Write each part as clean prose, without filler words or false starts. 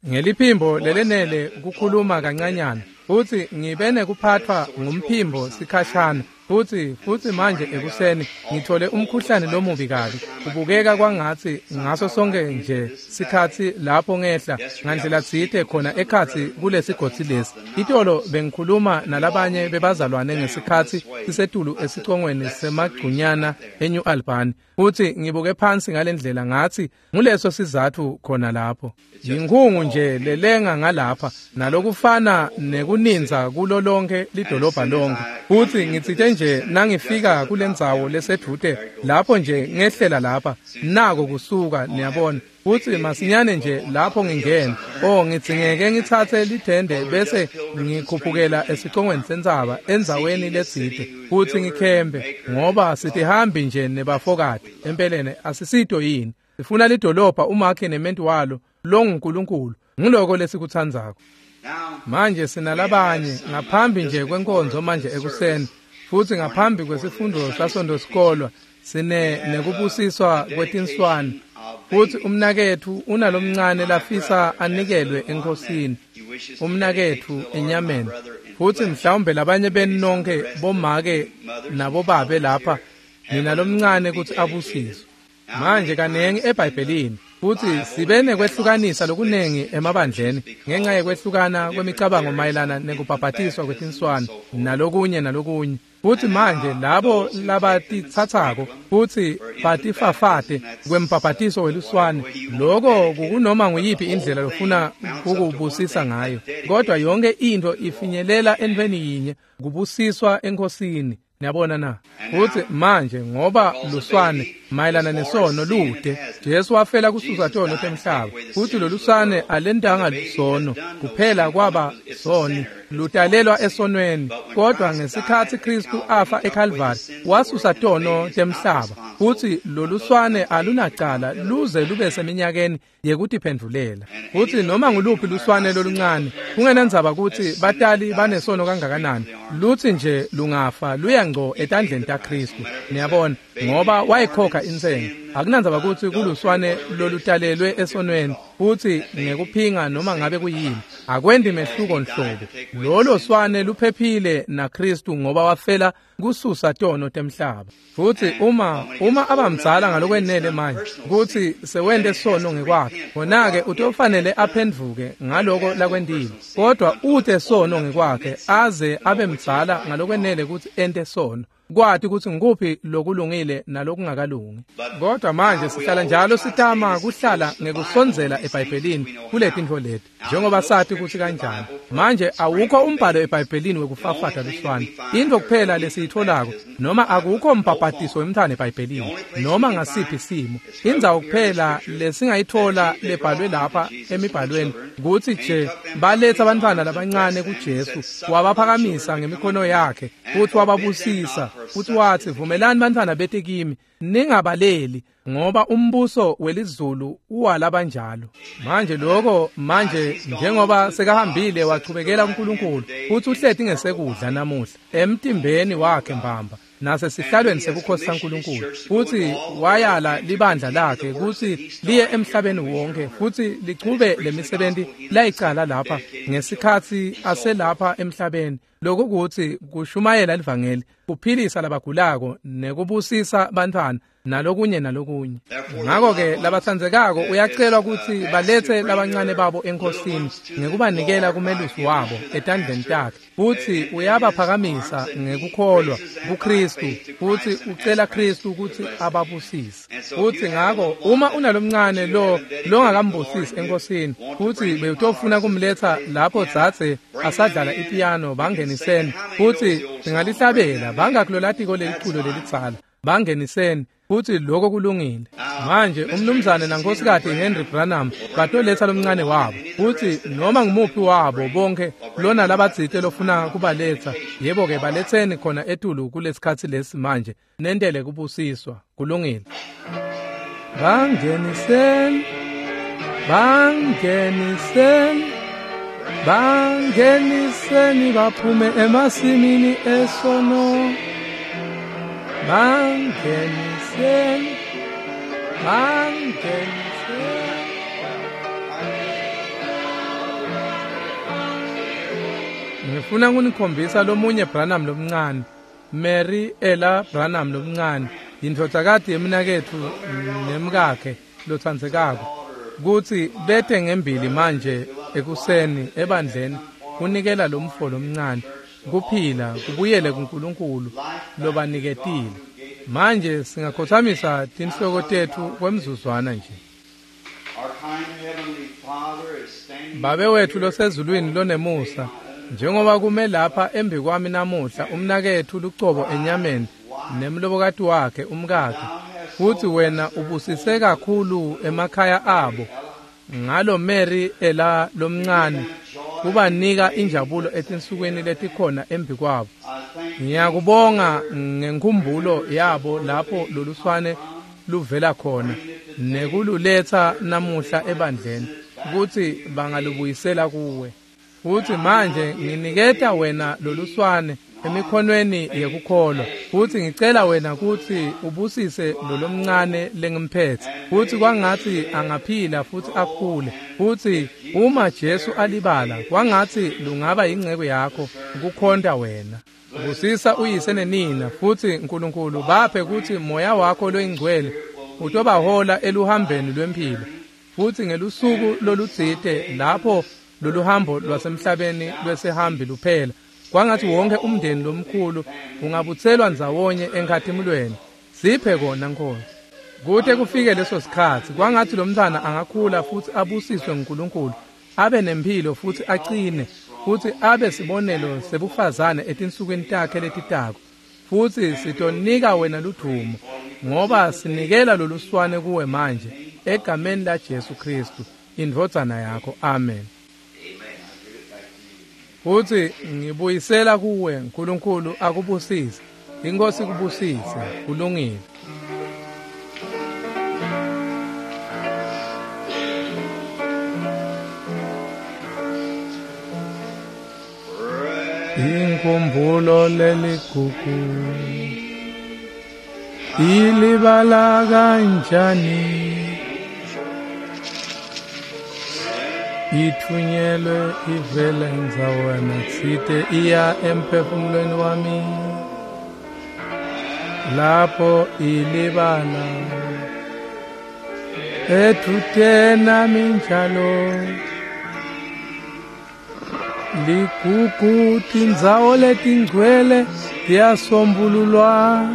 Ngeliphimbo lelenele kukhuluma kancanyana, futhi ngibe nekuphathwa ngumphimbo sikhashana, futhi manje ekuseni ngithole umkhuhlane lomubi kabi. Kubukeka kwangathi ngaso sonke nje sikhatsi lapho ngehla ngandlela tsite khona ekhatsi kulesigodzi lesi. Itolo bengikhuluma nalabanye bebazalwane ngesikhatsi sisetulu esicongweni semagcunyana eNew Albany, futhi ngibuke phansi ngalendlela ngathi nguleso sizathu khona lapho. Yinkhungu nje lelenga ngalapha nalokufana nekuninza kulo lonke lidolobha lonke. Futhi ngitsite nje nangifika kulendzawo lesedvute lapho nje ngehlela lapha nako kusuka, niyabona. Futhi masinyane nje lapho ngingena, ngidzingeke ngitsatse lithende bese ngikhuphukela esicongweni sentsaba endzaweni letsite futhi ngikhembe, ngoba sitihambi nje nebafokati. Empeleni asisito yini? Sifuna lidolobha umakhe nementi walo longuNkulunkulu. Nguloko lesikutsandzako. Manje sinalabanye ngaphambi nje kwenkonzo manje ekuseni, futhi ngaphambi kwesifundo saSonto sikolwa sine nekubusiswa kwetinswane. Futhi umnaketfu unalomncane lafisa anikelwe enkosini, umnaketfu enyameni. Futhi mhlawumbe labanye benu nonke bomake nabobabe lapha ninalomncane kutsi abusiswe. Manje kanengi eBhayibhelini futhi sibe nekwehlukanisa lokunengi emabandleni ngenxa yekwehlukana kwemicabango mayelana nekubhabhatiswa kwetinswane nalokunye nalokunye. Futhi manje labo labatitsatsako futhi batifafate kwembhabhatiso weluswane, loko kukunoma nguyiphi indlela lofuna ukubusisa ngayo, kodwa yonke into ifinyelela entweni yinye, kubusiswa enkosini. Niyabona na? Futhi manje ngoba luswane mayelana nesono lude, Jesu wafela kususa tono temhlaba, futhi loluswane alentanga sono kuphela kwaba soni, lutalelwa esonweni. Kodwa ngesikhatsi Kristu afa eCalvary wasusa tono temhlaba, futhi loluswane alunacala luze lube seminyakeni yekutiphendvulela. Futhi noma nguluphi luswane loluncane, kungenandzaba kutsi batali banesono kangakanani, lutsi nje lungafa luya ngco etandleni taKristu. Niyabona, ngoba wayikhokha intsengo. Akunandzaba kutsi kuluswane lolutalelwe esonweni futhi ngekuphinga noma ngabe kuyini, akwendi mehluko nhlobo. Lolo swane luphephile naKristu ngoba wafela kususa tono temhlaba. Futhi uma abamdzala ngalokwenele manje kutsi sewente sono ngekwakhe, khona-ke utofanele aphendvuke ngaloko lakwentile. Kodwa ute sono ngekwakhe aze abe mdzala ngalokwenele kutsi ente sono, kwati kutsi ngikuphi lokulungile nalokungakalungi. Kodwa manje sihlala njalo sitama kuhlala ngekusondzela eBhayibhelini kuletintfo leti, njengoba sati kutsi kanjani. Manje awukho umbhalo eBhayibhelini wekufafata luswane. Intfo kuphela lesiyitfolako, noma akukho mbhabhatiso wemntfwana eBhayibhelini noma ngasiphi simo. Indzawo kuphela lesingayitfola lebhalwe lapha emibhalweni kutsi nje baletsa abantwana labancane kuJesu, wabaphakamisa ngemikhono yakhe futhi wababusisa, futhi wathi, vumelani bantwana bete kimi, ningabaleli, ngoba umbuso welizulu uwalabanjalo. Manje lokho, manje njengoba sekahambile wachubekela kuNkulunkulu, futhi uhleti ngesekudla namuhla emtimbeni wakhe mbamba nasesihlalweni sebukhosi saNkulunkulu, futhi wayala libandla lakhe kutsi liye emhlabeni wonke futhi lichube lemisebenti layicala lapha ngesikhatsi aselapha emhlabeni, lokukuthi kushumayela livangeli, kuphilisa labagulako nekubusisa bantfwana nalokunye nalokunye. Ngakho-ke labatsandzekako uyacelwa kutsi baletse labancane babo enkosini ngekubanikela kumelusi wabo etandleni takhe, futhi uyabaphakamisa ngekukholwa kuKristu, futhi ucela Kristu kutsi ababusise. Futhi ngako uma unalomncane lo longakambusisi enkosini, futhi bewutofuna kumletsa lapho dzadze asadlala ipiyano, bangeniseni futhi singalihlabela bangakulolatiko leliculo lelidzala, bangeniseni futhi lokho kulungile. Manje umnumzane nankosikazi Henry Branham batoletsa lomncane wabo, futhi noma ngumuphi wabo bonke lona labatsite lofuna kubaletsa, yebo-ke baletseni khona etulu kulesikhatsi lesi manje, nentele kubusiswa. Kulungile. Bangeniseni, bangeniseni, bangeniseni baphume emasimini esono. Bangeniseni, bangeniseni. Ngifuna ukunikhombisa lomunye Branham lomncane, Mary Ella Branham lomncane, indvodzakati yemnaketfu nemkakhe lotsandzekako, kutsi bete ngembili manje ekuseni ebandleni kunikela lomfo lomncane kuphila kubuyele kuNkulunkulu lobaniketile. Manje singakhothamisa tinhloko tetfu kwemzuzwana nje. Babe wetfu losezulwini lonemusa, njengoba kume lapha embi kwami namuhla umnaketfu lucobo enyameni nemlobokati wakhe umkakhe, futhi wena ubusise kakhulu emakhaya abo ngalo Mary Ella lomncane, kubanika injabulo etinsukwini letikhona embi kwabo. Ngiyakubonga ngenkhumbulo yabo lapho loluswane luvela khona nekululetsa namuhla ebandleni kutsi bangalubuyisela kuwe. Futhi manje nginiketa wena loluswane emikhonweni yekukholwa, futhi ngicela wena kutsi ubusise lolomncane lengimphethe, futhi kwangatsi angaphila futhi akhule, futhi uma Jesu alibala kwangatsi lungaba yingcebo yakho kukhonta wena. Busisa uyise nenina, futhi Nkulunkulu baphe kutsi moya wakho loyingcwele utobahola eluhambeni lwemphilo, futhi ngelusuku lolutsite lapho loluhambo lwasemhlabeni lwesihambi luphela, kwangathi wonke umndeni lomkhulu ungabutselwa ndzawonye enkhatimulweni. Siphe kona Nkosi. Kute kufike leso sikhatsi, kwangathi lomntwana angakhula futhi abusiswe nguNkulunkulu, abe nemphilo futhi aqine, futhi abe sibonelo sebufazane etinsukwini takhe letitako. Futhi sitonika wena ludvumo, ngoba sinikela loluswane kuwe manje egameni la Jesu Kristu, indvodzana yakho. Amen. Futhi ngibuyisela kuwe Nkulunkulu akubusise. Inkosi kubusise. Kulungile. Inkumbulo leligugu ilibala kanjani, ithunyelwe ivele ndzawana tsite iya emphefumulweni wami, lapho ilibala edvute nami njalo. Ligugu tindzawo letingcwele tiyasombululwa.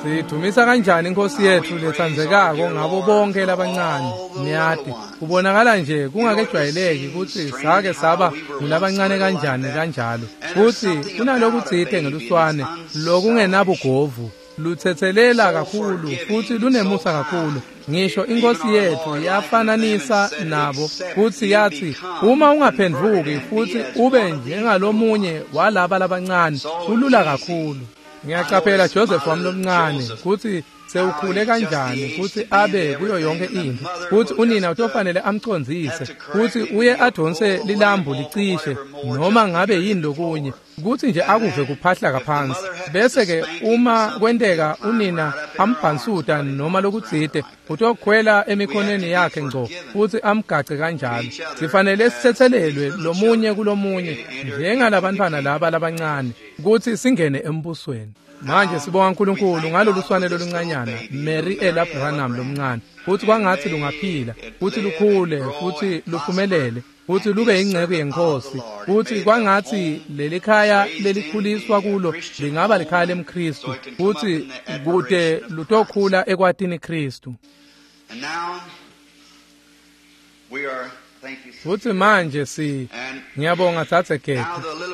Sidumisa kanjani inkosi yethu letsandzekako ngabo bonke labancane. Niyati, kubonakala nje kungakejwayeleki kutsi sake saba ngulabancane kanjani kanjalo. Futsi kunalokutsite ngeluswane lokungenabugovu, lutsetselela kakhulu futhi lunemusa kakhulu. Ngisho inkosi yethu yafananisa nabo futhi yathi, uma ungaphendvuki futhi ube njengalomunye walaba labancane, kulula kakhulu. Ngiyacaphela Joseph wami lomncane kutsi sewukhule kanjani kutsi abe kuyo yonke intfo, kutsi unina utofanele amcondzise, kutsi uye adonse lilambu licishe noma ngabe yini lokunye, kutsi nje akuve kuphahlaka phansi. Bese ke uma kwenteka unina ambhansuta noma lokutsite, utokhwela emikhonweni yakhe ngco futhi amgace kanjalo. Sifanele sitsetselelwe lomunye kulomunye njengalabantwana laba labancane kutsi singene embusweni. Manje sibonga uNkulunkulu ngalolu swane loluncanyana Mary Ella Branham lomncane, futhi kwangathi lungaphila futhi lukhule futhi luphumelele futhi lube ingcebo yenkosi, futhi kwangathi lelikhaya lelikhuliswa kulo lingaba likhaya lemKristu, futhi kute lutokhula ekwatini Kristu. Futhi manje ngiyabonga Tsatse Gedi.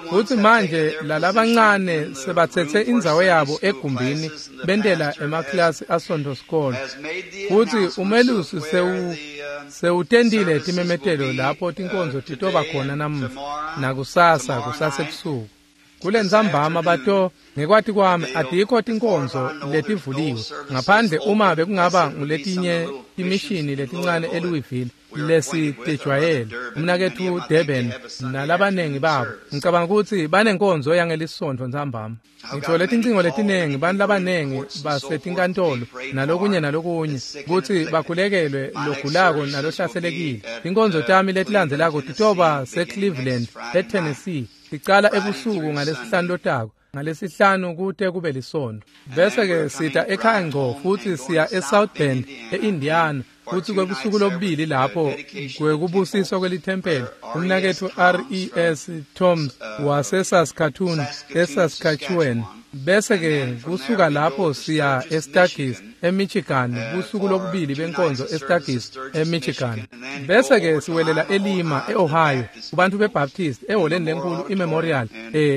Futhi manje lalabancane sebathethe indzawo yabo egumbini bentela emaklasi asonto sikolo. Futhi umelusi sewutendile timemetelo lapho tinkonzo titoba khona namuhla nakusasa kusasebusuku. Kulentsambama bato ngekwati kwami atikho tinkonzo letivuliwe ngaphandle uma bekungaba nguletinye timishini letincane eLouisville lesitejwayele. Umnaketfu Durban nalabanengi babo ngicabanga ukuthi banenkonzo yangelisonto ntsambama. Ngithole tincingo letinengi, bantu labanengi basetinkantolo nalokunye nalokunye kutsi bakhulekelwe logulako nalohlaselekile. Tinkonzo tami letilandzelako titoba seCleveland, eTennessee. Ticala ebusuku ngalesihlanu lotako, ngalesihlanu kute kube lisondo. Bese-ke sita ekhaya ngco futsi siya eSouth Bend, e-Indiana, futsi kwebusuku lobubili lapho kwekubusiswa kwelithempeli. Umnaketfu R.E.S. Toms waseSaskatoon, eSaskatchewan. Bese-ke kusuka lapho siya eStargis, eMichigan, busuku lobubili benkonzo eStargis, eMichigan. Bese-ke siwelela eLima, e-Ohio, kubantu beBaptist, ehholeni lenkulu iMemorial,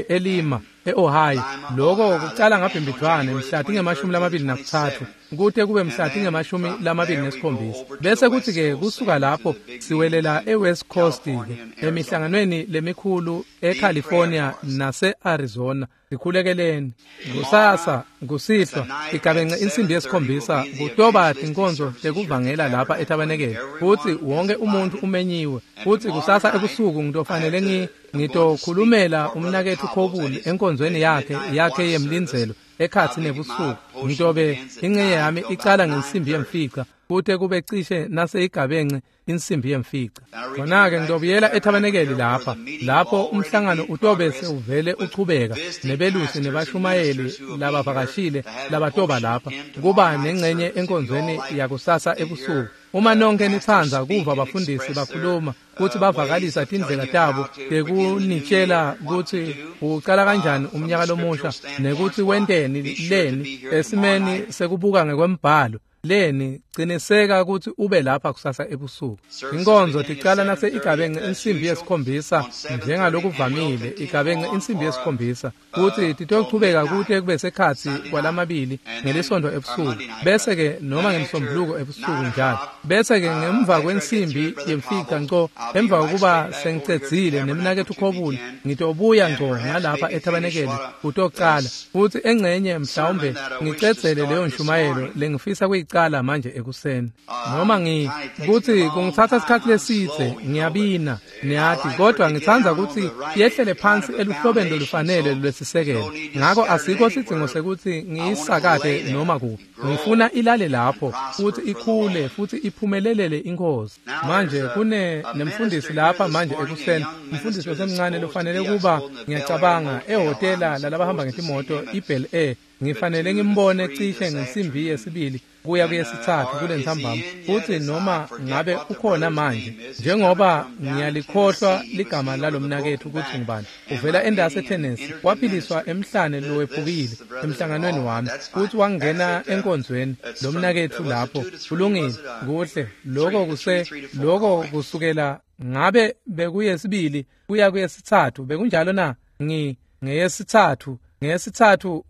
eLima, e-Ohio. Lokho kucala ngabhimbidvwane mhla tinge-23 kute kube mhla tinge-27. Bese kuthi-ke kusuka lapho siwelela eWest Coast-ke emihlanganweni lemikhulu eCalifornia nase-Arizona. Sikhulekeleni. Kusasa, kusihlwa, igabence insimbi yesikhombisa kutoba tinkonzo tekuvangela lapha etabenekele. Futsi wonke umuntu umenyiwe. Futsi kusasa ebusuku ngitofanele ngitokhulumela umnaketfu Khobuli enkonzweni yakhe yemlindzelo ekhatsi nebusuku. Ngitobe ingcenye yami icala ngensimbi yemfica kute kube cishe nase igabence insimbi yemfica. Khona-ke ngitobuyela ethabenekeli lapha, lapho umhlangano utobe sewuvele uchubeka nebelusi nebashumayeli labavakashile labatoba lapha kuba nengcenye enkonzweni yakusasa ebusuku. Uma nonke nitsandza kuva bafundisi bakhuluma kutsi bavakalisa tindlela tabo tekunitshela kutsi ucala kanjani umnyaka lomusha nekutsi wenteni leni esimeni sekubuka ngekwembhalo leni, ciniseka kutsi ube lapha kusasa ebusuku. Inkonzo ticala nase igabence insimbi yesikhombisa njengalokuvamile, igabence insimbi yesikhombisa kutsi titochubeka kute kube sekhatsi kwalamabili ngelisondo ebusuku, bese-ke noma ngemsombuluko ebusuku njalo. Bese-ke ngemva kwensimbi yemfica ngco, emva kokuba sengicedzile nemnaketfu Khobuli, ngitobuya ngco ngalapha ethabenekeli kutocala futsi engcenye mhlawumbe ngicedzele leyo nshumayelo lengifisa kuyicala manje ekuseni. Noma kutsi kungitsatsa isikhatsi lesidze ngiyabina niyati, kodwa ngitsandza kutsi yehlele phansi eluhlobeni lolufanele lwesisekelo. Ngako asikho sidzingo sekutsi ngiyisakate noma kuphi. Ngifuna ilale lapho futhi ikhule futhi iphumelelele inkosi. Manje kune nemfundisi lapha manje ekuseni, umfundisi losemncane lofanele kuba ngiyacabanga ehhotela lalabahamba ngetimoto iBel Air. Ngifanele ngimbone cishe ngensimbi yesibili kuya kuyesithathu kulentsambama, futsi noma ngabe ukhona manje, njengoba ngiyalikhohlwa ligama lalomnaketfu kutsi ngubani. Uvela endasi eTennessee, waphiliswa emhlane lowephukile emhlanganweni wami, futsi wangena enkonzweni lomnaketfu lapho. Kulungile, kuhle. Lokho kusukela ngabe bekuyesibili kuya kuyesithathu, bekunjalo na? Ngeyesithathu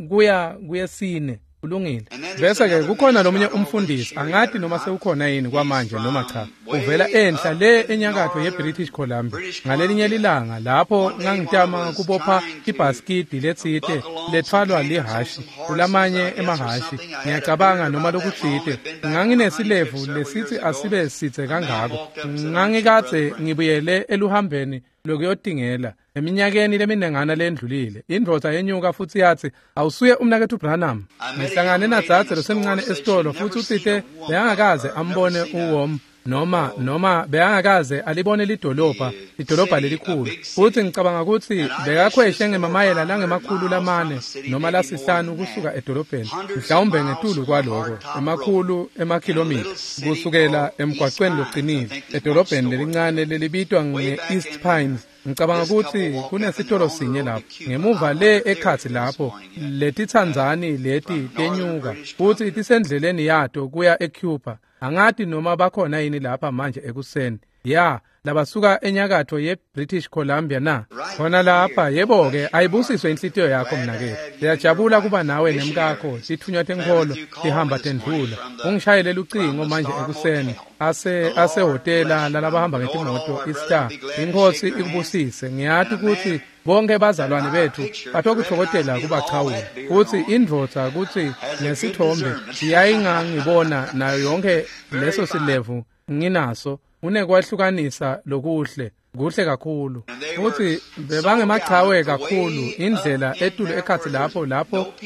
kuya kuyesine. Kulungile. Bese-ke kukhona lomunye umfundisi, angati noma sewukhona yini kwamanje noma cha. Uvela enhla le enyakatfo yeBritish Columbia. Ngalelinye lilanga lapho ngangitama kubopha ibhasikidi letsite letfwalwa lihashi kulamanye emahhashi, ngiyacabanga noma lokutsite, nganginesilevu lesithi asibe sidze kangako. Ngangikadze ngibuyele eluhambeni lokuyotingela eminyakeni leminengana lendlulile. Indvodza yenyuka futsi yatsi, awusuye umnaketfu Branham? Ngihlangane nadzadze losemncane esitolo futsi utsite bekangakaze ambone uwom noma bekangakaze alibone lidolobha lelikhulu. Futsi ngicabanga kutsi bekakhweshe ngemamayela langama-400 noma lasihlanu kusuka edolobheni, mhlawumbe ngetulu kwaloko, emakhulu emakhilomitha kusukela emgwacweni locinile edolobheni lelincane lelibitwa nge-East Pines. Ngicabanga kutsi kunesitolo sinye lapho ngemuva le ekhatsi lapho letitsandzani leti tenyuka futsi tisendleleni yato kuya eCuba. Angati noma bakhona yini lapha manje ekuseni. Ya, labasuka enyakatfo yeBritish Columbia na? Khona lapha, yebo-ke, ayibusiswe inhlitiyo yakho mnaketfu. Siyajabula kuba nawe nemkakho, titfunywa tenkholo tihamba tendlula. Ungishayele lucingo manje ekuseni asehhotela lalabahamba ngetimoto iStar. Inkosi ikubusise. Ngiyati kutsi bonke bazalwane bethu batokutfokotela kubachawula. Futsi indvodza kutsi nesithombe iyayingangibona nayo yonke leso silevu nginaso, unekwahlukanisa lokuhle, kuhle kakhulu. Futsi bebangemachawe kakhulu, indlela etulu ekhatsi lapho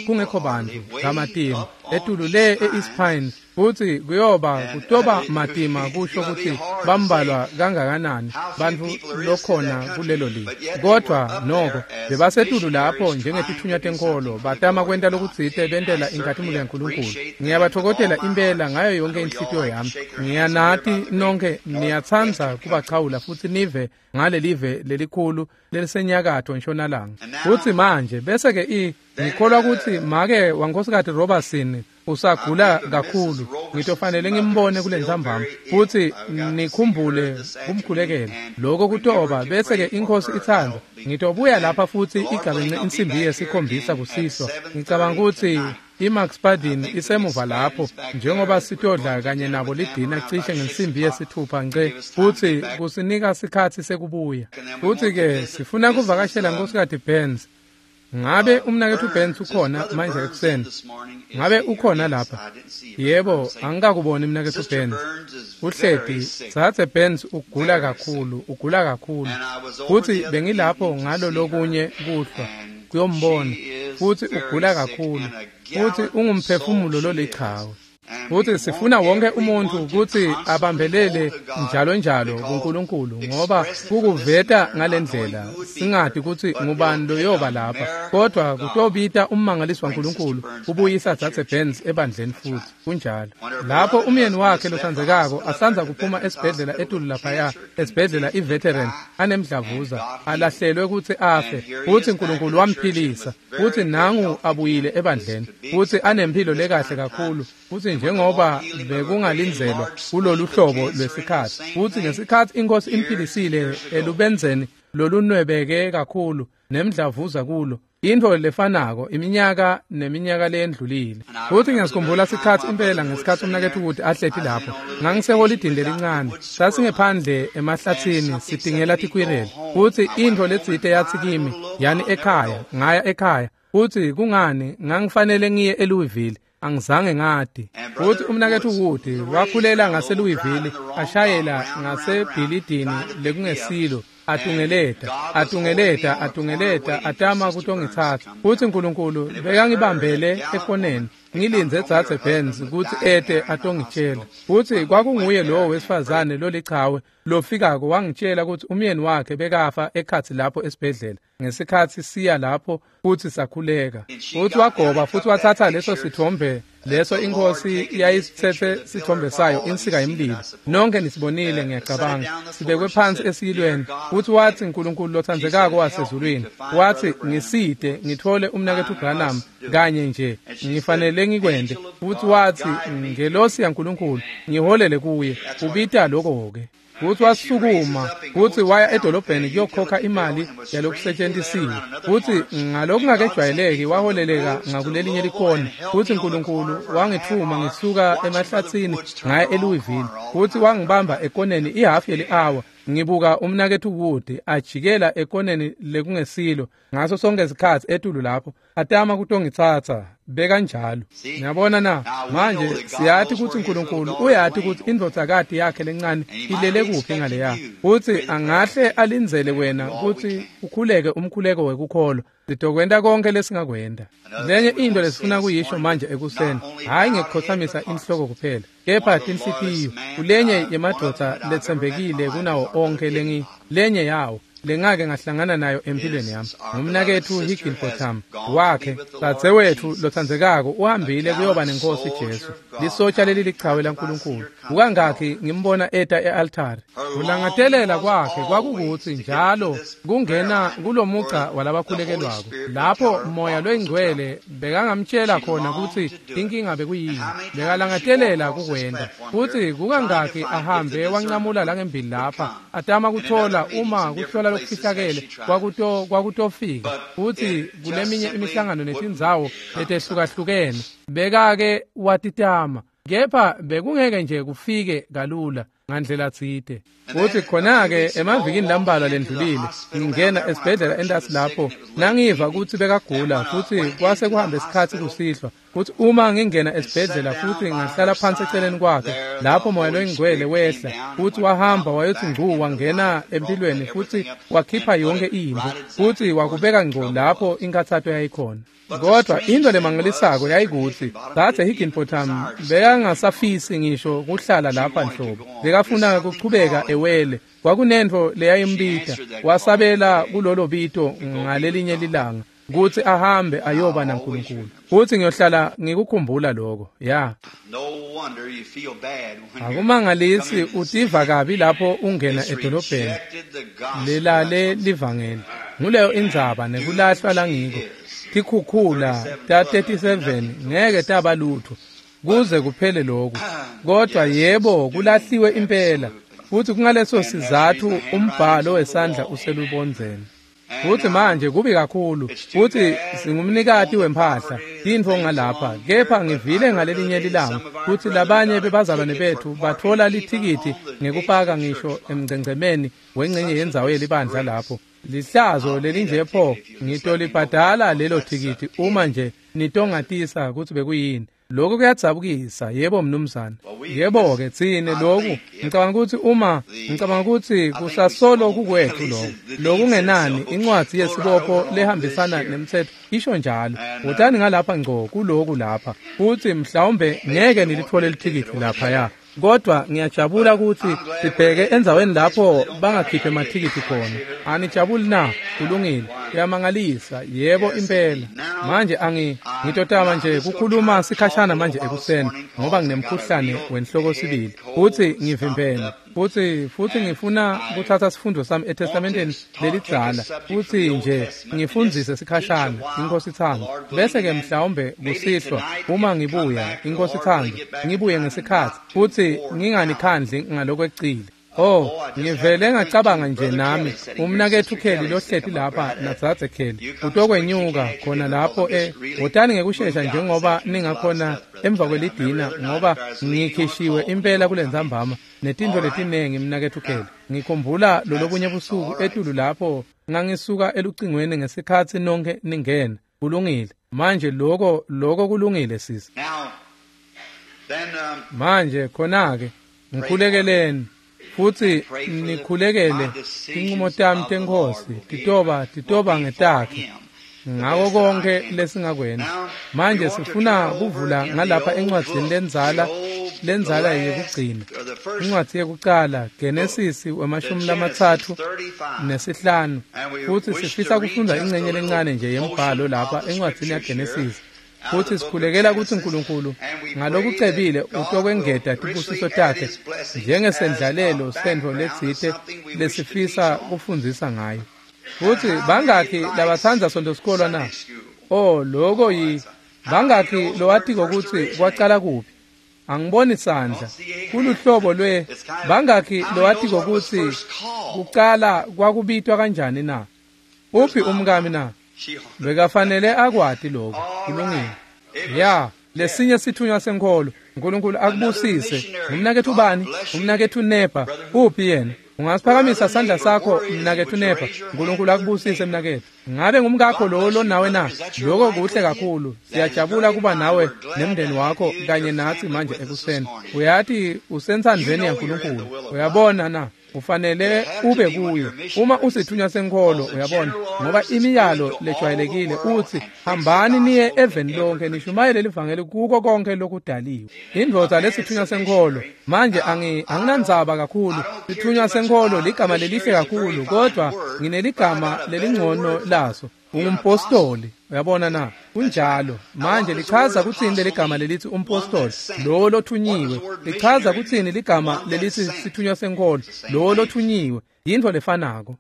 kungekho bantu kamatima. etulu le e-East Pines, futsi kuyoba kutoba matima kusho kutsi bambalwa kangakanani bantfu lokhona kulelo live. Kodvwa noko bebasetulu lapho njengetithunywa tenkolo, batama kwenta lokutsite bentela inkhatimulo yaNkulunkulu. Ngiyabatfokotela impela ngayo yonke inhlitiyo yami. Ngiyanati nonke niyatsandza kubachawula futsi nive ngalelive lelikhulu lelisenyakatfo ntshonalanga. Futsi manje bese-ke ngikholwa kutsi make waNkhosikati Robertson usagula kakhulu, ngitofanele ngimbone kule ntsambama futsi nikhumbule kumkhulekela. Lokho kutoba bese-ke iNkhosi itsandza ngitobuya lapha futsi igabence insimbi yesikhombisa kusihlwa. Ngicabanga kutsi iMax Spadin isemuva lapho njengoba sitodla kanye nabo lidina cishe ngensimbi yesithupha nce, futsi kusinika sikhatsi sekubuya. Futsi-ke sifuna kuvakashela Nkhosikati Burns. Ngabe umnaketfu Burns ukhona manje ekuseni? Ngabe ukhona lapha? Yebo, angikakuboni mnaketfu Burns. Uhleti, Dzadze Burns ugula kakhulu, ugula kakhulu. Futsi bengilapho ngalo lokunye kuhlwa kuyombona, futsi ugula kakhulu, futsi ungumphefumulo lolichawe. Futsi sifuna wonke umuntfu kutsi abambelele njalo njalo kuNkulunkulu, ngoba kukuveta ngalendlela singati kutsi ngubani loyoba lapha, kodvwa kutobita ummangaliso waNkulunkulu kubuyisa Dzadze Burns ebandleni futhi. Kunjalo. Lapho umyeni wakhe lotsandzekako asandza kuphuma esibhedlela etulu laphaya, esibhedlela iVeteran, anemdlavuza, alahlelwe kutsi afe, futsi Nkulunkulu wamphilisa, futsi nangu abuyile ebandleni, futsi anemphilo lekahle kakhulu, futsi njengoba bekungalindzelwa kulolu hlobo lwesikhatsi. Futsi ngesikhatsi iNkhosi imphilisile elubenzeni lolunwebeke kakhulu nemdlavuza kulo, intfo lefanako iminyaka neminyaka leyendlulile. Futsi ngiyasikhumbula sikhatsi impela ngesikhatsi umnaketfu Wood ahleti lapho. Ngangiseholidini lelincane, sasingephandle emahlatsini sitingela tikwireli, futsi intfo letsite yatsi kimi, yani ekhaya. Ngaya ekhaya, futsi kungani ngangifanele ngiye eLouisville? Angizange ngati. Futsi umnaketfu Wood wakhulela ngaseLouisville, ashayela ngasebhilidini lekungesilo, atungeleta, atungeleta, atungeleta, atama kutongitsatsa. Futsi Nkulunkulu bekangibambele ekoneni, ngilindze Dzadze Burns kutsi ete atongitshela. Futsi kwakunguye lowo wesifazane lolichawe lofikako wangitshela kutsi umyeni wakhe bekafa ekhatsi lapho esibhedlela ngesikhatsi siya lapho futsi sakhuleka. Futsi wagoba futsi watsatsa leso sithombe leso iNkhosi yayisitsetse sithombe sayo, insika yemlilo. Nonke nisibonile, ngiyacabanga, sibekwe phansi esiyilweni. Futsi watsi, Nkulunkulu lotsandzekako wasezulwini, watsi, ngisite ngitfole umnaketfu Branham kanye nje, ngifanele ngikwente. Futsi watsi, ngelosi yaNkulunkulu, ngiholele kuye. Ubita lokho-ke. Futsi wasukuma futsi waya edolobheni kuyokhokha imali yalokusetshentisiwe, futsi ngalokungakejwayeleki waholeleka ngakulelinye likhona. Futsi Nkulunkulu wangitfuma ngisuka emahlatsini ngaya eLouisville, futsi wangibamba ekoneni ihhafu yeli-awa ngibuka umnaketfu Wood ajikela ekoneni lekungesilo ngaso sonke sikhatsi etulu lapho atama kutongitsatsa. Bekanjalo. Niyabona na? Manje siyati kutsi Nkulunkulu uyati kutsi indvodzakati yakhe lencane ilele kuphi ngaleya, futsi angahle alindzele wena kutsi ukhuleke umkhuleko wekukholwa. Sitokwenta konke lesingakwenta. Lenye into lesifuna kuyisho manje ekuseni, hhayi ngekukhotsamisa inhloko kuphela, kepha tinhlitiyo. Kulenye yemadvodza letsembekile kunawo onke lenye yawo lengake ngahlangana nayo empilweni yami, ngumnaketfu Higginbotham wakhe, dzadzewetfu lotsandzekako uhambile kuyoba nenkosi Jesu, lisotsha leli lichawe laNkulunkulu. Kukangakhi ngimbona eta e-altari. Kulangatelela kwakhe kwakukutsi njalo kungena kulomugca walabakhulekelwako, lapho Moya loyiNgcwele bekangamtshela khona kutsi inkinga bekuyini. Bekalangatelela kukwenta. Futsi kukangakhi ahambe wancamula langembili lapha, atama kuthola uma kuhlola lokufihlakele kwakutofika. Futsi kuleminye imihlangano netindzawo letehlukahlukene bekake watitama, kepha bekungeke nje kufike kalula. ngandlela tsite. Futhi khona-ke emavikini lambalwa lendlulile ngingena esibhedlela entasi lapho nangiva ukuthi bekagula futhi kwase kuhambe isikhathi kusihlwa futhi uma ngingena esibhedlela futhi ngahlala phansi eceleni kwakhe lapho moya loyingcwele wehla futhi wahamba wayothi ngcu wangena empilweni futhi wakhipha yonke into futhi wakubeka ngco lapho inkathato yayikhona. Kodwa into lemangalisako yayikuthi Dzadze Higginbotham bekangasafisi ngisho kuhlala lapha nhlobo, bekafuna kuchubeka ewele. Kwakunentfo leyayimbita, wasabela kulolo bito ngalelinye lilanga kutsi ahambe ayoba naNkulunkulu. Futhi ngiyohlala ngikukhumbula lokho. Ya. Akumangalisi utiva kabi lapho ungena edolobheni lelale livangeli. Nguleyo indzaba nekulahlwa langiko. Tikhukhula ta 37 ngeke taba lutho kuze kuphele lokhu. Kodwa yebo kulahliwe impela, futhi kungaleso sizathu umbhalo wesandla uselubondzeni. Futhi manje kubi kakhulu, futhi singumnikati wempahla tintfo ngalapha, kepha ngivile ngalelinye lilanga futhi labanye bebazalwane bethu batfola lithikithi ngekupaka ngisho emngcengcemeni wengcenye yendzawo yelibandla lapho. Lihlazo lelinje pho, ngitolibhadala lelo thikithi uma nje nitongatisa kutsi bekuyini. Lokhu kuyadzabukisa, yebo mnumzane. Yebo-ke tsine lokhu, ngicabanga ukuthi uma ngicabanga ukuthi kusasolo kukwethu lokho. Lokungenani incwadzi yesibopho lehambisana nemtsetfo isho njalo. Wotani ngalapha ngco kuloku lapha, futhi mhlawumbe ngeke nilithole lithikithi laphaya. Kodwa ngiyajabula ukuthi sibheke endzaweni lapho bangakhiphi emathikithi khona. Anijabuli na? Kulungile. Kuyamangalisa. Yebo impela. Manje ngitotama nje kukhuluma sikhashana manje ekuseni ngoba nginemkhuhlane wenhloko sibili. Futhi ngivimbene. Futhi ngifuna kuthatha sifundo sami eTestamenteni lelidzala. Futhi nje ngifundzise sikhashana iNkosi ithanda. Bese ke mhlawumbe kusihlwa uma ngibuya iNkosi ithanda ngibuye ngesikhathi futhi nginganikhandli ngalokwecile. Oh, ngivele ngacabanga nje nami umnakethu Kelly lohleti lapha naDzadze Kelly utokwenyuka khona lapho wotani ngekushesha njengoba ningakhona emva kwelidina ngoba ngikhishiwe impela kulentsambama netintfo letinengi mnakethu Kelly. Ngikhumbula lolobunye busuku etulu lapho ngangisuka elucingweni ngesikhatsi nonke ningena. Kulungile. Manje lokho kulungile sisi. Manje khona-ke ngikhulekeleni futhi nikhulekele tincumo tami teNkhosi titoba ngetakhe ngako konke lesingakwenta. Manje sifuna kuvula ngalapha encwadzini lendzala yekugcina, incwadzi yekucala Genesis 35, futhi sifisa kufundza ingcenye lencane nje yembhalo lapha encwadzini yaGenesis. Futhi sikhulekela ukuthi uNkulunkulu ngalokucebile utokwengeta tibusiso takhe njengesendlalelo sentfo letsite lesifisa kufundzisa ngayo. Futhi bangakhi labatsandza Sonto sikolwa na? Oh, loko yi bangakhi lowatiko ukuthi kwacala kuphi? Angiboni sandla. Kuluhlobo lwe bangakhi lowatiko ukuthi kucala kwakubitwa kanjani na? Uphi umkami na? Bekafanele akwati lokho. Kulungile. Ya, lesinye sithunywa senkholo. uNkulunkulu akubusise. Umnakethu bani? Umnakethu Nepa. Uphi yena? Ungasiphakamisa sandla sakho mnakethu Nepa. uNkulunkulu akubusise mnakethu. Ngabe ngumkakho lo lonawe na? Lokho kuhle kakhulu. Siyajabula kuba nawe nemndeni wakho kanye natsi manje ekuseni. Uyati usenthandweni yaNkulunkulu. Uyabona na? Ufanele ube kuyo uma usithunywa senkholo, uyabona, ngoba imiyalo lejwayelekile uthi hambani niye eveni lonke nishumayele livangeli kuko konke lokudaliwe. Indvodza lesithunywa senkholo manje anginandzaba kakhulu. Sithunywa senkholo ligama lelihle kakhulu, kodwa ngineligama lelingcono laso. Ungumpostoli, uyabona na? Kunjalo. Manje lichaza kutsini leligama lelithi umpostoli, lo lothunyiwe? Lichaza kutsini ligama lelithi sithunywa senkholo, lo lothunyiwe? Yintfo lefanako.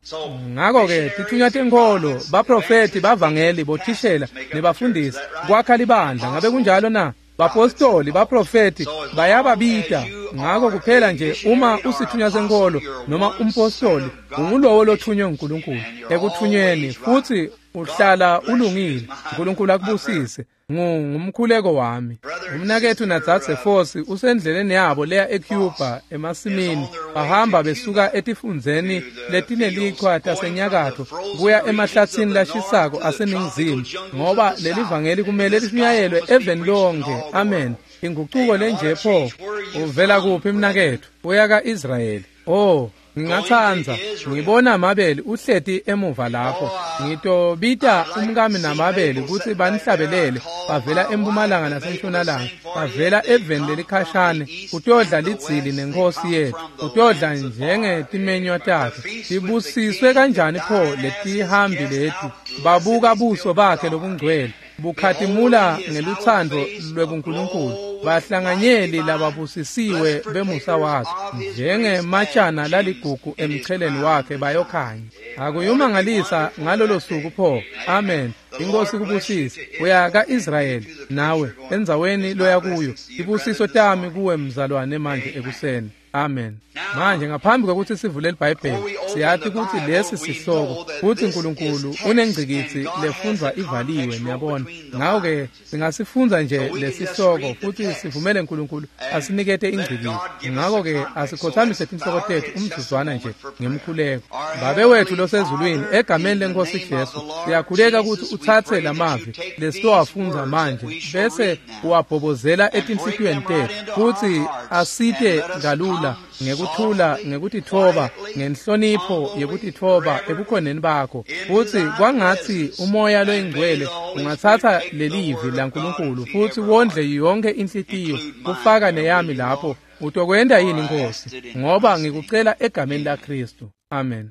Ngakho-ke tithunywa tenkholo, baprofethi, bavangeli, bothishela nebafundisi kwakha libandla. Ngabe kunjalo na? Bapostoli, baprofethi bayababita. Ngakho kuphela nje uma usithunywa senkholo noma umpostoli, ungulowo lothunywe nguNkulunkulu ekuthunyweni, futhi Uhlala ulungile. uNkulunkulu akubusise. Ngumkhuleko wami. Umnakethu nadzadze Fosi usendleleni yabo leya eCuba emasimini. Bahamba besuka etifundzeni letinelichwa tasenyakatfo kuya emahlatsini lashisako aseningizimu, ngoba leli vangeli kumele lishunyayelwe eveni lonke. Amen. Inguquko lenje pho. Uvela kuphi mnakethu? Uya ka-Israyeli. Oh, ngingatsandza ngibona Mabeli uhleti emuva lapho. Ngitobita umkami naMabeli kutsi banihlabelele. Bavela empumalanga nasentshonalanga, bavela eveni lelikhashane kutodla lidzili nenkosi yethu, kutodla njengetimenywa takhe. Tibusiswe kanjani pho letihambi leti! Babuka buso bakhe lobungcwele bukhatimula ngelutsandvo lwebuNkulunkulu. Bahlanganyeli lababusisiwe bemusa wakhe, njengematshana laligugu emcheleni wakhe bayokhanya. Akuyumangalisa ngalolo suku pho. Amen. Inkosi kubusise. Uya ka-Israyeli nawe endzaweni loya kuyo. Tibusiso tami kuwe mzalwane manje ekuseni. Amen. Manje ngaphambi kwekutsi sivule iBhayibheli, siyati kutsi lesi sihloko futsi uNkulunkulu unengcikitsi lefundvwa ivaliwe, niyabona. Ngako-ke singasifundza nje lesihloko futsi sivumele uNkulunkulu asinikete ingcikitsi. Ngako-ke asikhothamise tinhloko tetfu umzuzwana nje ngemkhuleko. Babe wethu losezulwini, egameni leNkosi Jesu, siyakhuleka kutsi utsatse lamavi lesitowafundza manje bese uwabhobozela etinhlitiyweni tetfu, futsi asite kalula ngekuthula, ngekutitfoba, ngenhlonipho yekutitfoba ebukhoneni bakho. Futsi kwangatsi umoya loyingcwele ungatsatsa lelivi laNkulunkulu futsi wondle yonke inhlitiyo, kufaka neyami lapho. Utokwenta yini Nkosi? Ngoba ngikucela egameni laKristu. Amen.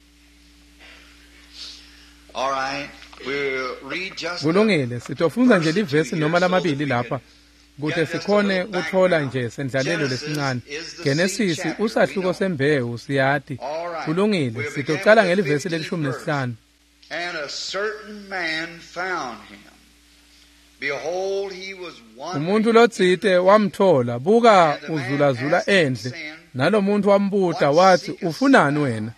Kulungile, sitofundza nje livesi noma lamabili lapha kute sikhone kutfola nje sendlalelo lesincane. Genesisi usahluko sembewu, siyati. Kulungile, sitocala ngelivesi leli-15. Umuntu lotsite wamthola, buka uzulazula endle. Nalomuntu wambuta wathi, ufunani wena?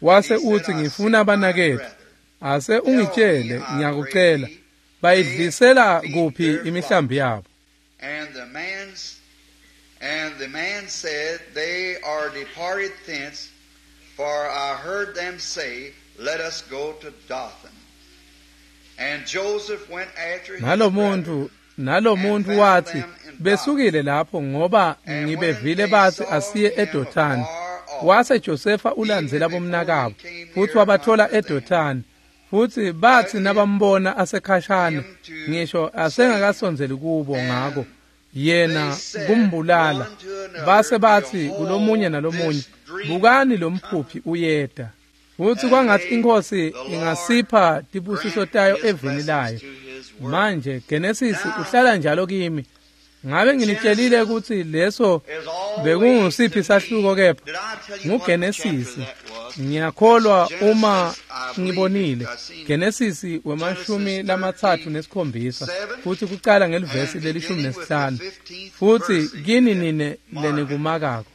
Wase uthi, ngifuna abanaketfu. Ase ungitshele, ngiyakucela, bayidlisela kuphi imihlambi yabo? And the man said, they are departed thence, for I heard them say, let us go to Dothan. And Joseph went after his brethren. Nalomuntu wathi, besukile lapho ngoba ngibevile bathi asiye eDothani. Wase Josefa ulandzela bomnakabo futsi wabathola eDothani. Futsi bathi nabambona asekhashane, ngisho asengakasondzeli kubo, ngako yena kumbulala. Base bathi kulomunye nalomunye, bukani lo mphuphi uyeta. Futsi kwangatsi iNkhosi ingasipha tibusiso tayo eveni layo. Manje Genesis uhlala njalo kimi. Ngabe nginitshelile kutsi leso bekungusiphi sahluko kepha? NguGenesis. Ngiyakholwa uma ngibonile Genesis we-37 futhi kucala ngelivesi leli-15. Futsi kini nine lenikumakako.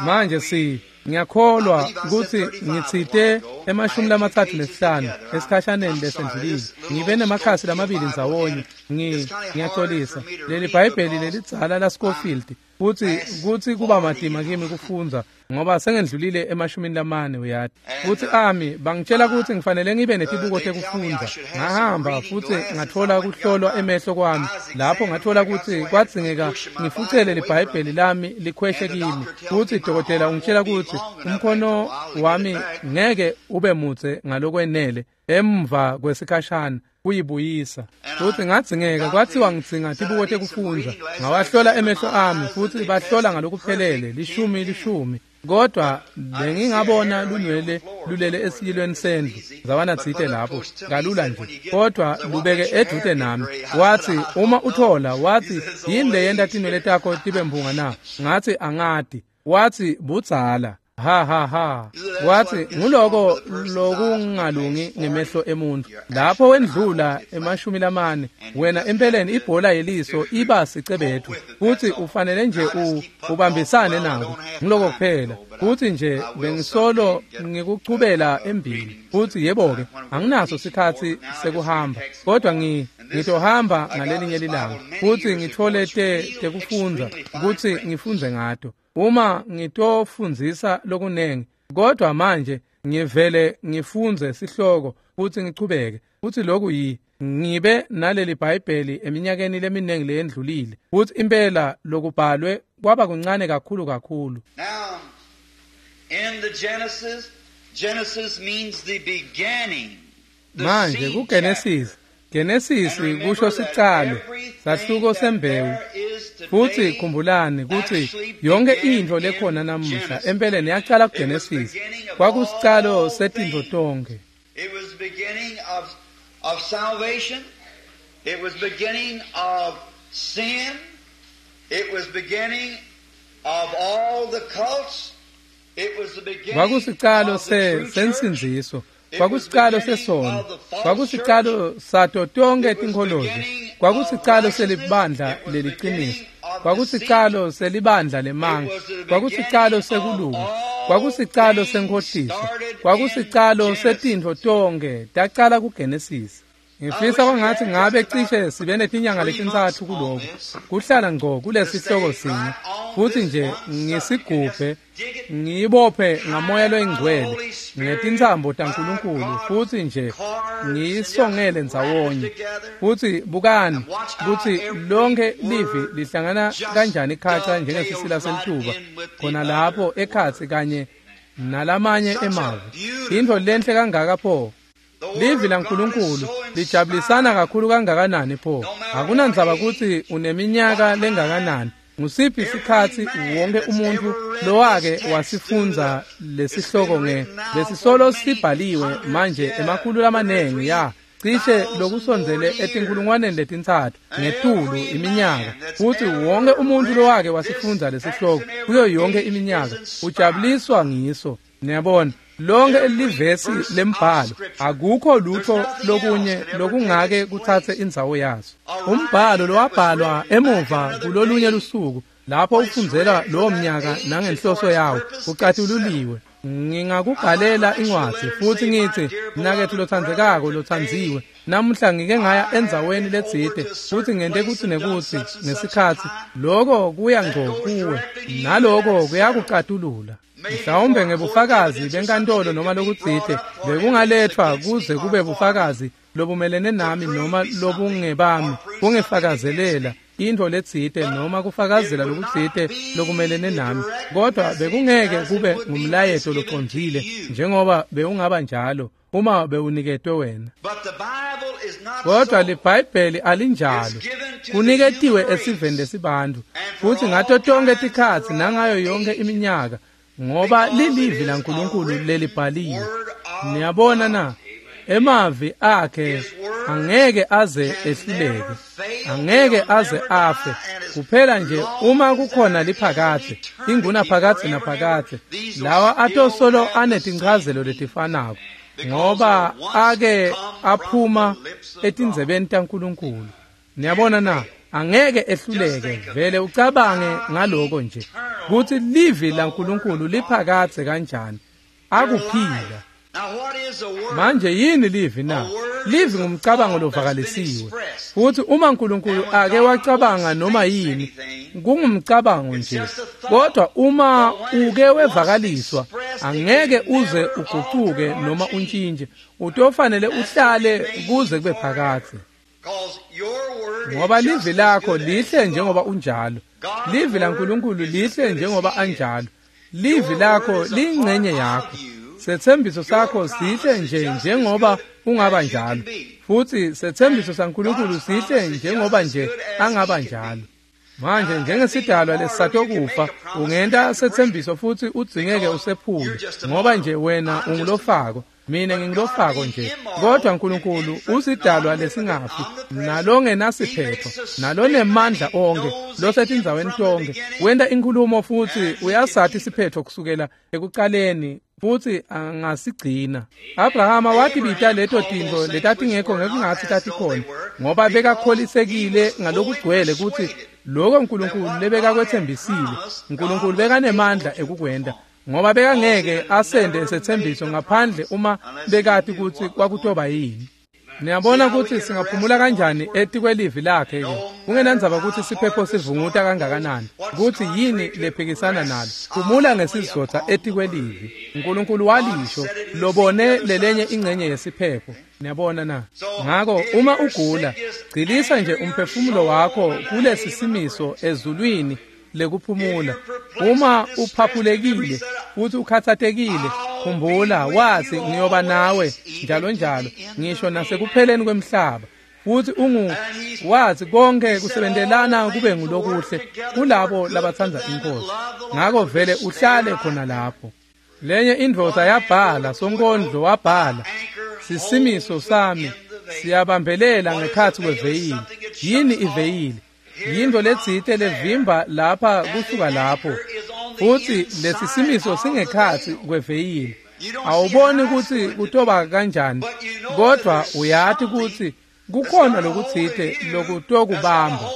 Manje ngiyakholwa kutsi ngitsite ema-35 esikhashaneni lesendlulile. Ngibe nemakhasi lamabili ndzawonye. Ngiyaxolisa. Leli Bhayibheli lelidzala laScofield futsi kutsi kuba matima kimi kufundza ngoba sengendlulile ema-40 uyati. Futsi ami bangitshela kutsi ngifanele ngibe netibuko tekufundza. Ngahamba futsi ngatfola kuhlolwa emehlo kwami. Lapho ngatfola kutsi kwadzingeka ngifucele liBhayibheli lami likhweshe kimi. Futsi dokotela ungitshela kutsi umkhono wami ngeke ube mudze ngalokwenele emva kwesikhashana kuyibuyisa. Futsi ngadzingeka kwatsiwa ngidzinga tibuko tekufundza. Ngawahlola emehlo ami futsi bahlola ngalokuphelele 10/10. Kodwa bengingabona lunwele lulele esiyilweni sendlu zawana tsite lapho kalula nje, kodwa lubeke edvute nami. Wathi uma uthola, wathi yini leyenta tinwele takho tibe mpunga na? Ngathi angati. Wathi budzala. Ha ha ha. Wathi nguloko lokungalungi ngemehlo emuntu. Lapho wendlula 40 wena empeleni ibhola yeliso iba sicebethu futhi ufanele nje ubambisane nako. Ngiloko kuphela. Futhi nje bengisolo ngikuchubela embili. Futhi yebo ke anginaso sikhathi sekuhamba kodwa ngitohamba ngalelinye lilanga futhi ngithole tekufundza ukuthi ngifunze ngato. Uma ngitofundzisa lokunengi kodwa manje ngivele ngifunze sihloko futhi ngichubeke futhi lokhu ngibe naleli Bhayibheli eminyakeni leminingi leyendlulile futhi impela lokubhalwe kwaba kuncane kakhulu kakhulu. Now in the Genesis, Genesis means the beginning. Manje kuGenesis, Genesis kusho sicalo, sahluko sembewu. Futhi khumbulani ukuthi yonke into lekhona namuhla empeleni yaqala kuGenesis. Kwakusicalo setintfo tonkhe. It was the beginning of salvation. It was beginning of sin. It was beginning of all the cults. It was the beginning Kwakusicalo sensindziso. Kwakusicalo sesono. Kwakusicalo sato tonke tinkholozo. Kwakusicalo selibandla leliqiniso. Kwakusicalo selibandla lemanga. Kwakusicalo sekulunga. Kwakusicalo senkhohliso. Kwakusicalo setintfo tonke tacala kuGenesis. Ngifisa kwangathi ngabe cishe sibe netinyanga letintsatfu kuloko. Kuhlala ngco kulesihloko sinye futhi nje ngisigubhe ngiyibophe ngamoya loyingcwele ngetintsambo taNkulunkulu futhi nje ngiyisongele ndzawonye. Futhi bukani kutsi lonke livi lihlangana kanjani khaca njengesisila selituba khona lapho ekhatsi kanye nalamanye emavi. Intfo lenhle kangaka pho. Livi laNkulunkulu lijabulisana kakhulu kangakanani pho. Akunandzaba kutsi uneminyaka lengakanani. Ngusiphi isikhatsi wonke umuntu lowake wasifundza lesihloko lesisolo sibhaliwe manje emakhulu lamanengi ya cishe lokusondzele etinkulungwaneni letintsatfu ngetulu iminyaka. Futhi wonke umuntu lowake wasifundza lesihloko kuyo yonke iminyaka ujabuliswa ngiso. Niyabona lonke livesi lembhalo akukho lutho lokunye lokungake kuthathe indzawo yaso. Umbhalo lowabhalwa emuva kulolunye lusuku lapho ufundzela lowo mnyaka nangenhloso yawo ucatululiwe. Ngingakubhalela incwadzi futhi ngithi mnaketfu lotsandzekako lotsandziwe namuhla ngike ngaya endzaweni letsite futhi ngente kutsi nekutsi ngesikhatsi loko kuya ngco kuwe naloko kuyakucatulula. Mhlawumbe ngebufakazi benkantolo noma lokutsite bekungaletfwa kuze kube bufakazi lobumelene nami noma lobungebami kungifakazelela intfo letsite noma kufakazela lokutsite lokumelene nami, kodwa bekungeke kube ngumlayeto locondzile njengoba bewungaba njalo uma bewuniketwe wena. Kodwa liBhayibheli alinjalo, kuniketiwe esiveni lesibantfu futhi ngato tonke tikhatsi nangayo yonke iminyaka ngoba lilivi laNkulunkulu lelibhaliwe. Niyabona na? Emavi akhe angeke aze ehluleke, angeke aze afe. Kuphela nje uma kukhona liphakadze, inguna phakadze naphakadze, lawa atosolo anetinchazelo letifanako ngoba ake aphuma etindzebeni taNkulunkulu. Niyabona na? Angeke ehluleke. Vele ucabange ngaloko nje kutsi livi laNkulunkulu liphakadze kanjani akuphila. Manje yini livi na? Livi ngumcabango lovakalisiwe. Futhi uma uNkulunkulu ake wacabanga noma yini, kungumcabango nje. Kodwa uma uke wevakaliswa, angeke uze ugucuke noma untshintshe. Utofanele uhlale kuze kube phakadze. Ngoba livi lakho lihle njengoba unjalo. Livi laNkulunkulu lihle njengoba anjalo. Livi lakho liyingcenye yakho. Setsembiso sakho sihle nje njengoba ungaba njalo. Futhi setsembiso saNkulunkulu sihle njengoba nje angaba njalo. Manje njengesidalwa lesisatokufa ungenta setsembiso futhi udzingeke usephule ngoba nje wena ungulofako. Mina ngingilofako nje. Kodwa uNkulunkulu usidalwa lesingafi, nalongenasiphetho, nalonemandla onke, losetindzaweni tonke. Wenta inkhulumo futhi uyasathi isiphetho kusukela ekucaleni, futhi angasigcina. Abrahama watibita leto tintfo letatingekho ngekungatsi tatikhona, ngoba bekakholisekile ngalokugcwele kutsi lokho uNkulunkulu lebekakwetsembisile, uNkulunkulu bekanemandla ekukwenta, ngoba bekangeke asende setsembiso ngaphandle uma bekati kutsi kwakutoba yini. Niyabona kutsi singaphumula kanjani etikwelivi lakhe ke, kungenandzaba kutsi siphepho sivunguta kangakanani, kutsi yini lephikisana nalo. Phumula ngesizotha etikwelivi. uNkulunkulu walisho, lobone lelenye ingcenye yesiphepho. Niyabona na? Ngako uma ugula, gcilisa nje umphefumulo wakho kulesi simiso ezulwini lekuphumula. Uma uphaphulekile futhi ukhathatekile, khumbula wathi ngiyoba nawe njalo njalo, ngisho nasekupheleni kwemhlaba. Futhi wathi konke kusebentelana kube ngulokuhle kulabo labatsandza inkosi. Ngako vele uhlale khona lapho. Lenye indvodza yabhala, sonkondlo wabhala, sisimiso sami siyabambelela ngekhatsi kweveyili. Yini iveyili? Yinto letsite levimba lapha kusuka lapho, futhi lesisimiso singekhatsi kweveyili. Awuboni kutsi kutoba kanjani, kodwa uyati kutsi kukhona lokutsite lokutokubamba,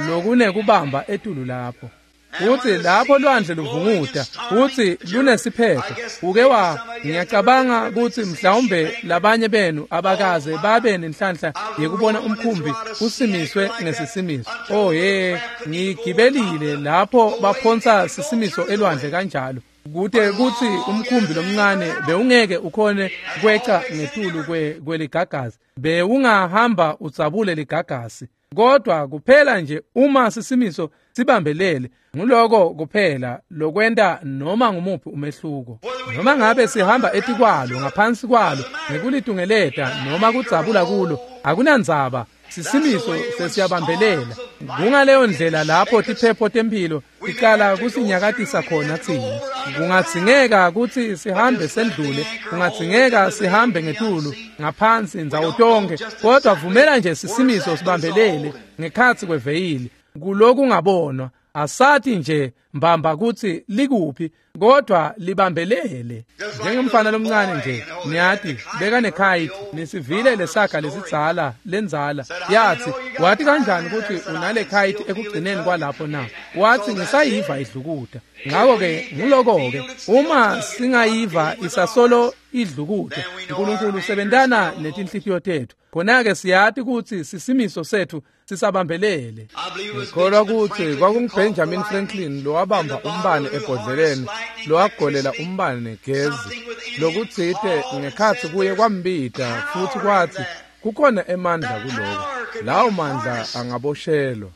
lokunekubamba etulu lapho. Futhi lapho lwandle luvunguta futhi lunesiphetho, uke wa ngiyacabanga kutsi mhlawumbe labanye benu abakaze babe nenhlanhla yekubona umkhumbi usimiswe ngesisimiso. Oh ye, ngigibelile lapho baphonsa sisimiso elwandle kanjalo, kute kutsi umkhumbi lomncane bewungeke ukhone kweca ngetulu kweligagasi, bewungahamba udzabule ligagasi. Kodwa kuphela nje uma sisimiso sibambelele, nguloko kuphela lokwenta noma ngumuphi umehluko. Noma ngabe sihamba etikwalo, ngaphansi kwalo, ngekulitungeleta noma kudzabula kulo, akunandzaba, sisimiso sesiyabambelela. Kungaleyo ndlela lapho tiphepho temphilo ticala kusinyakatisa khona tsine. Kungadzingeka kutsi sihambe sendlule, kungadzingeka sihambe ngetulu, ngaphansi, ndzawo tonke, kodwa vumela nje sisimiso sibambelele ngekhatsi kweveyili. Kulokungabonwa, asati nje mbamba kutsi likuphi, kodwa libambelele. Njengemfana lomncane nje, niyati, bekanekhaythi, nisivile lesaga lesidzala lendzala, yathi, wathi kanjani kutsi unale khayithi ekugcineni kwalapho na? Wathi ngisayiva idlukuta. Ngako-ke nguloko-ke, uma singayiva isasolo idlukuta, uNkulunkulu usebentana netinhlitiyo tethu. Khona-ke siyati kutsi sisimiso sethu sisabambelele. Ngikholwa kutsi kwakunguBenjamin Franklin lowabamba umbane ebhodleleni, lowagolela umbane negezi, lokutsite ngekhatsi kuye kwambita futhi kwathi kukhona emandla kuloko. Lawo mandla angaboshelwa.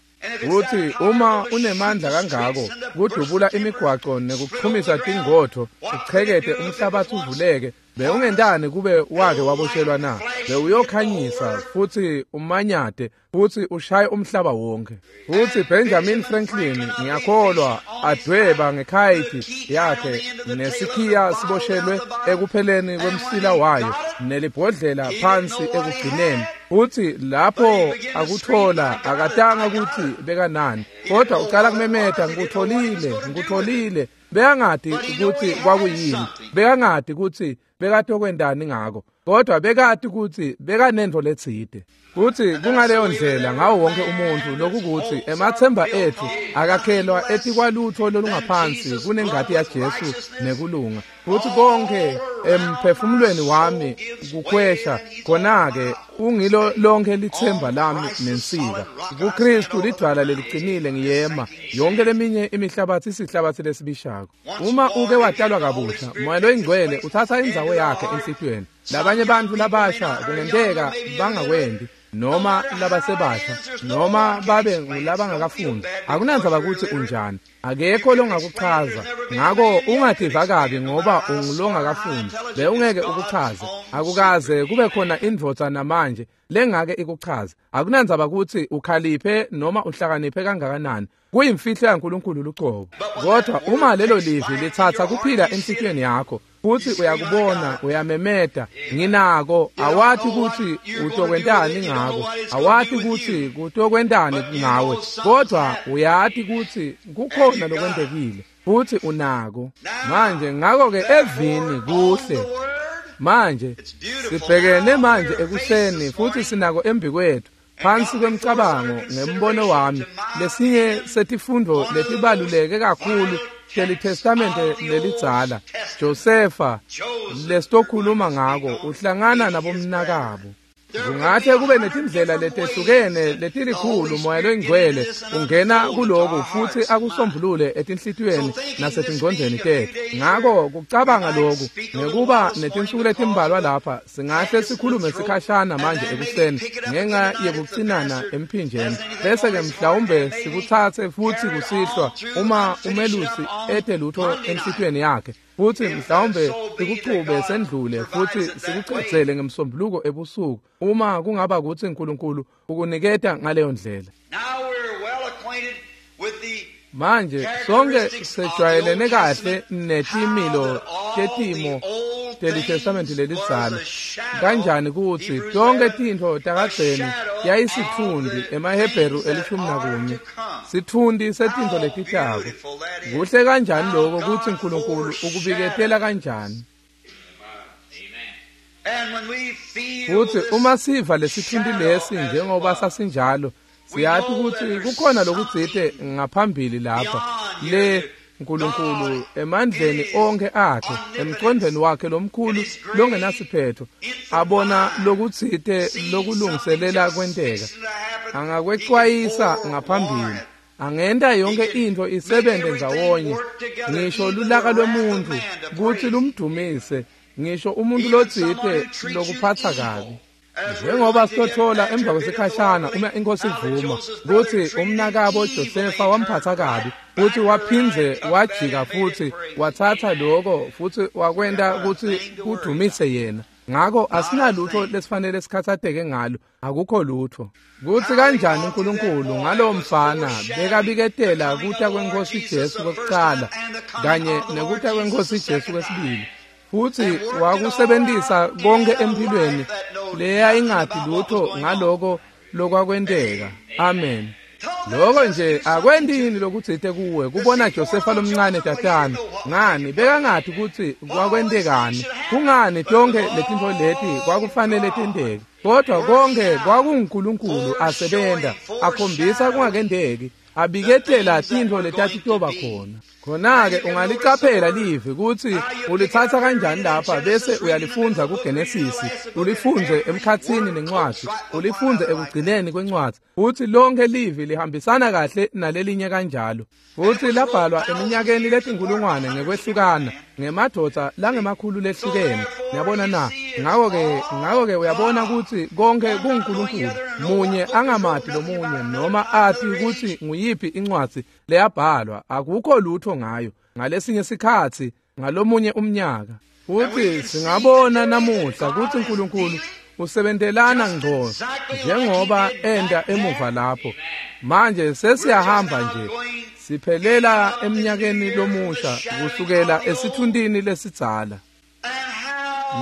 Kutsi uma unemandla kangako kudubula imigwaco nekuchumisa tingotho, uchekete umhlabatsi uvuleke, bewungentani kube wake waboshelwa na? Bewuyokhanyisa futhi umanyate futhi ushaye umhlaba wonke. Futhi Benjamin Franklin, ngiyakholwa, adweba ngekhayithi yakhe nesikhiya siboshelwe ekupheleni kwemsila wayo nelibhodlela phansi ekugcineni. Futhi lapho akuthola, akatanga kutsi bekanani, kodwa ucala kumemeta, ngikutholile, ngikutholile. Bekangati kutsi kwakuyini, bekangati kutsi bekatokwentani ngako, kodwa bekati kutsi bekanentfo letsite. Futhi kungaleyo ndlela ngawo wonke umuntfu, lokukuthi emathemba ethu akakhelwa etikwalutho lolungaphansi kunengati yaJesu nekulunga. Futhi konke emphefumulweni wami kukhwesha, khona-ke ungilo lonke lithemba lami nensika. KuKristu lidvwala leliqinile ngiyema, yonke leminye imihlabathi isihlabathi lesibishako. Uma uke watalwa kabusha, Moya loyiNgcwele uthatha indzawo yakhe enhlitiyweni. Labanye bantfu labasha kungenteka bangakwendi, noma labasebasha, noma babe ngulabangakafundi. Akunandzaba kutsi unjani, akekho longakuchaza. Ngako ungativa kabi ngoba ungulongakafundi, bewungeke ukuchaze. Akukaze kube khona indvodza namanje lengake ikuchaze. Akunandzaba kutsi ukhaliphe noma uhlakaniphe kangakanani, kuyimfihlo yaNkulunkulu lucobo. Kodwa uma lelo livi litsatsa kuphila enhlitiyweni yakho, Futhi uyakubona, uyamemeta, nginako. Awati ukuthi utokwentani ngako, awati ukuthi kutokwentani ngawe, kodwa uyati ukuthi kukhona lokwentekile futhi unako. Manje ngakho-ke evini kuhle. Manje sibhekene manje ekuseni futhi sinako embikwethu phansi kwemcabango ngembono wami lesinye setifundo letibaluleke kakhulu teliTestamente lelidzala, Josefa lesitokhuluma ngako uhlangana nabomnakabo. Kungahle kube netindlela letehlukene letilikhulu Moya loyingcwele ungena kuloku futhi akusombulule etinhlitiyweni nasetingcondvweni tetfu. Ngako kucabanga loku ngekuba netinsuku letimbalwa lapha singahle sikhulume sikhashana manje ekuseni ngenxa yekucinana emphinjeni, bese-ke mhlawumbe sikutsatse futhi kusihlwa uma umelusi ete lutho enhlitiyweni yakhe, futhi mhlawumbe sikuchube sendlule futhi sikucedzele ngemsombuluko ebusuku uma kungaba kutsi uNkulunkulu ukuniketa ngaleyo ndlela. Manje sonke sejwayelene kahle netimilo tetimo teliTestamente lelidzala, kanjani kutsi tonke tintfo takadzeni yayisitfundi emaHebheru 11, sitfundi setintfo letitako. Kuhle kanjani lokho kutsi uNkulunkulu ukubiketela kanjani. Futhi uma siva lesitfundi lesi njengoba sasinjalo, siyati kutsi kukhona lokutsite ngaphambili lapha le uNkulunkulu emandleni onke akhe, emcondweni wakhe lomkhulu longenasiphetho, abona lokutsite lokulungiselela kwenteka. Angakwexwayisa ngaphambili, angenta yonke intfo isebenze ndzawonye, ngisho lulaka lwemuntu kutsi lumdumise, ngisho umuntu lotsite lokuphatsa kabi. Njengoba sitothola emva kwesikhashana uma inkosi ivuma kutsi umnakabo Josefa wamphatsa kabi, futhi waphindze wajika futhi watsatsa lokho futhi wakwenta kutsi kudumise yena. Ngako asinalutho lesifanele sikhatsateke ngalo, akukho lutho. Kutsi kanjani uNkulunkulu ngalowo mfana bekabiketela kuta kweNkosi Jesu kwekucala kanye nekuta kweNkosi Jesu kwesibili, futhi wakusebentisa konke emphilweni leyayingati lutho ngaloko lokwakwenteka. Amen. Lokho nje akwentini lokutsite kuwe kubona Josefa lomncane tatana. Ngani bekangati kutsi kwakwentekani, kungani tonke letintfo leti kwakufanele tenteke, kodwa konke kwakunguNkulunkulu asebenta akhombisa kungakenteki, abiketela tintfo letatitoba khona. Khona-ke ungalicaphela livi kutsi ulitsatsa kanjani lapha bese uyalifundza kuGenesisi, ulifundze emkhatsini nencwadzi, ulifundze ekugcineni kwencwadzi, futsi lonke livi lihambisana kahle nalelinye kanjalo. Futsi labhalwa eminyakeni letinkulungwane ngekwehlukana ngemadvodza langemakhulu lehlukene. Niyabona na? Ngako-ke uyabona kutsi konke kunguNkulunkulu, munye angamati lomunye noma ati kutsi nguyiphi incwadzi leyabhalwa, akukho lutho ngayo ngalesinye sikhatsi ngalomunye umnyaka. Futhi singabona namuhla kutsi uNkulunkulu usebentelana ngqo njengoba enda emuva lapho. Manje sesiyahamba nje siphelela eminyakeni lomusha kusukela esithuntini lesidzala.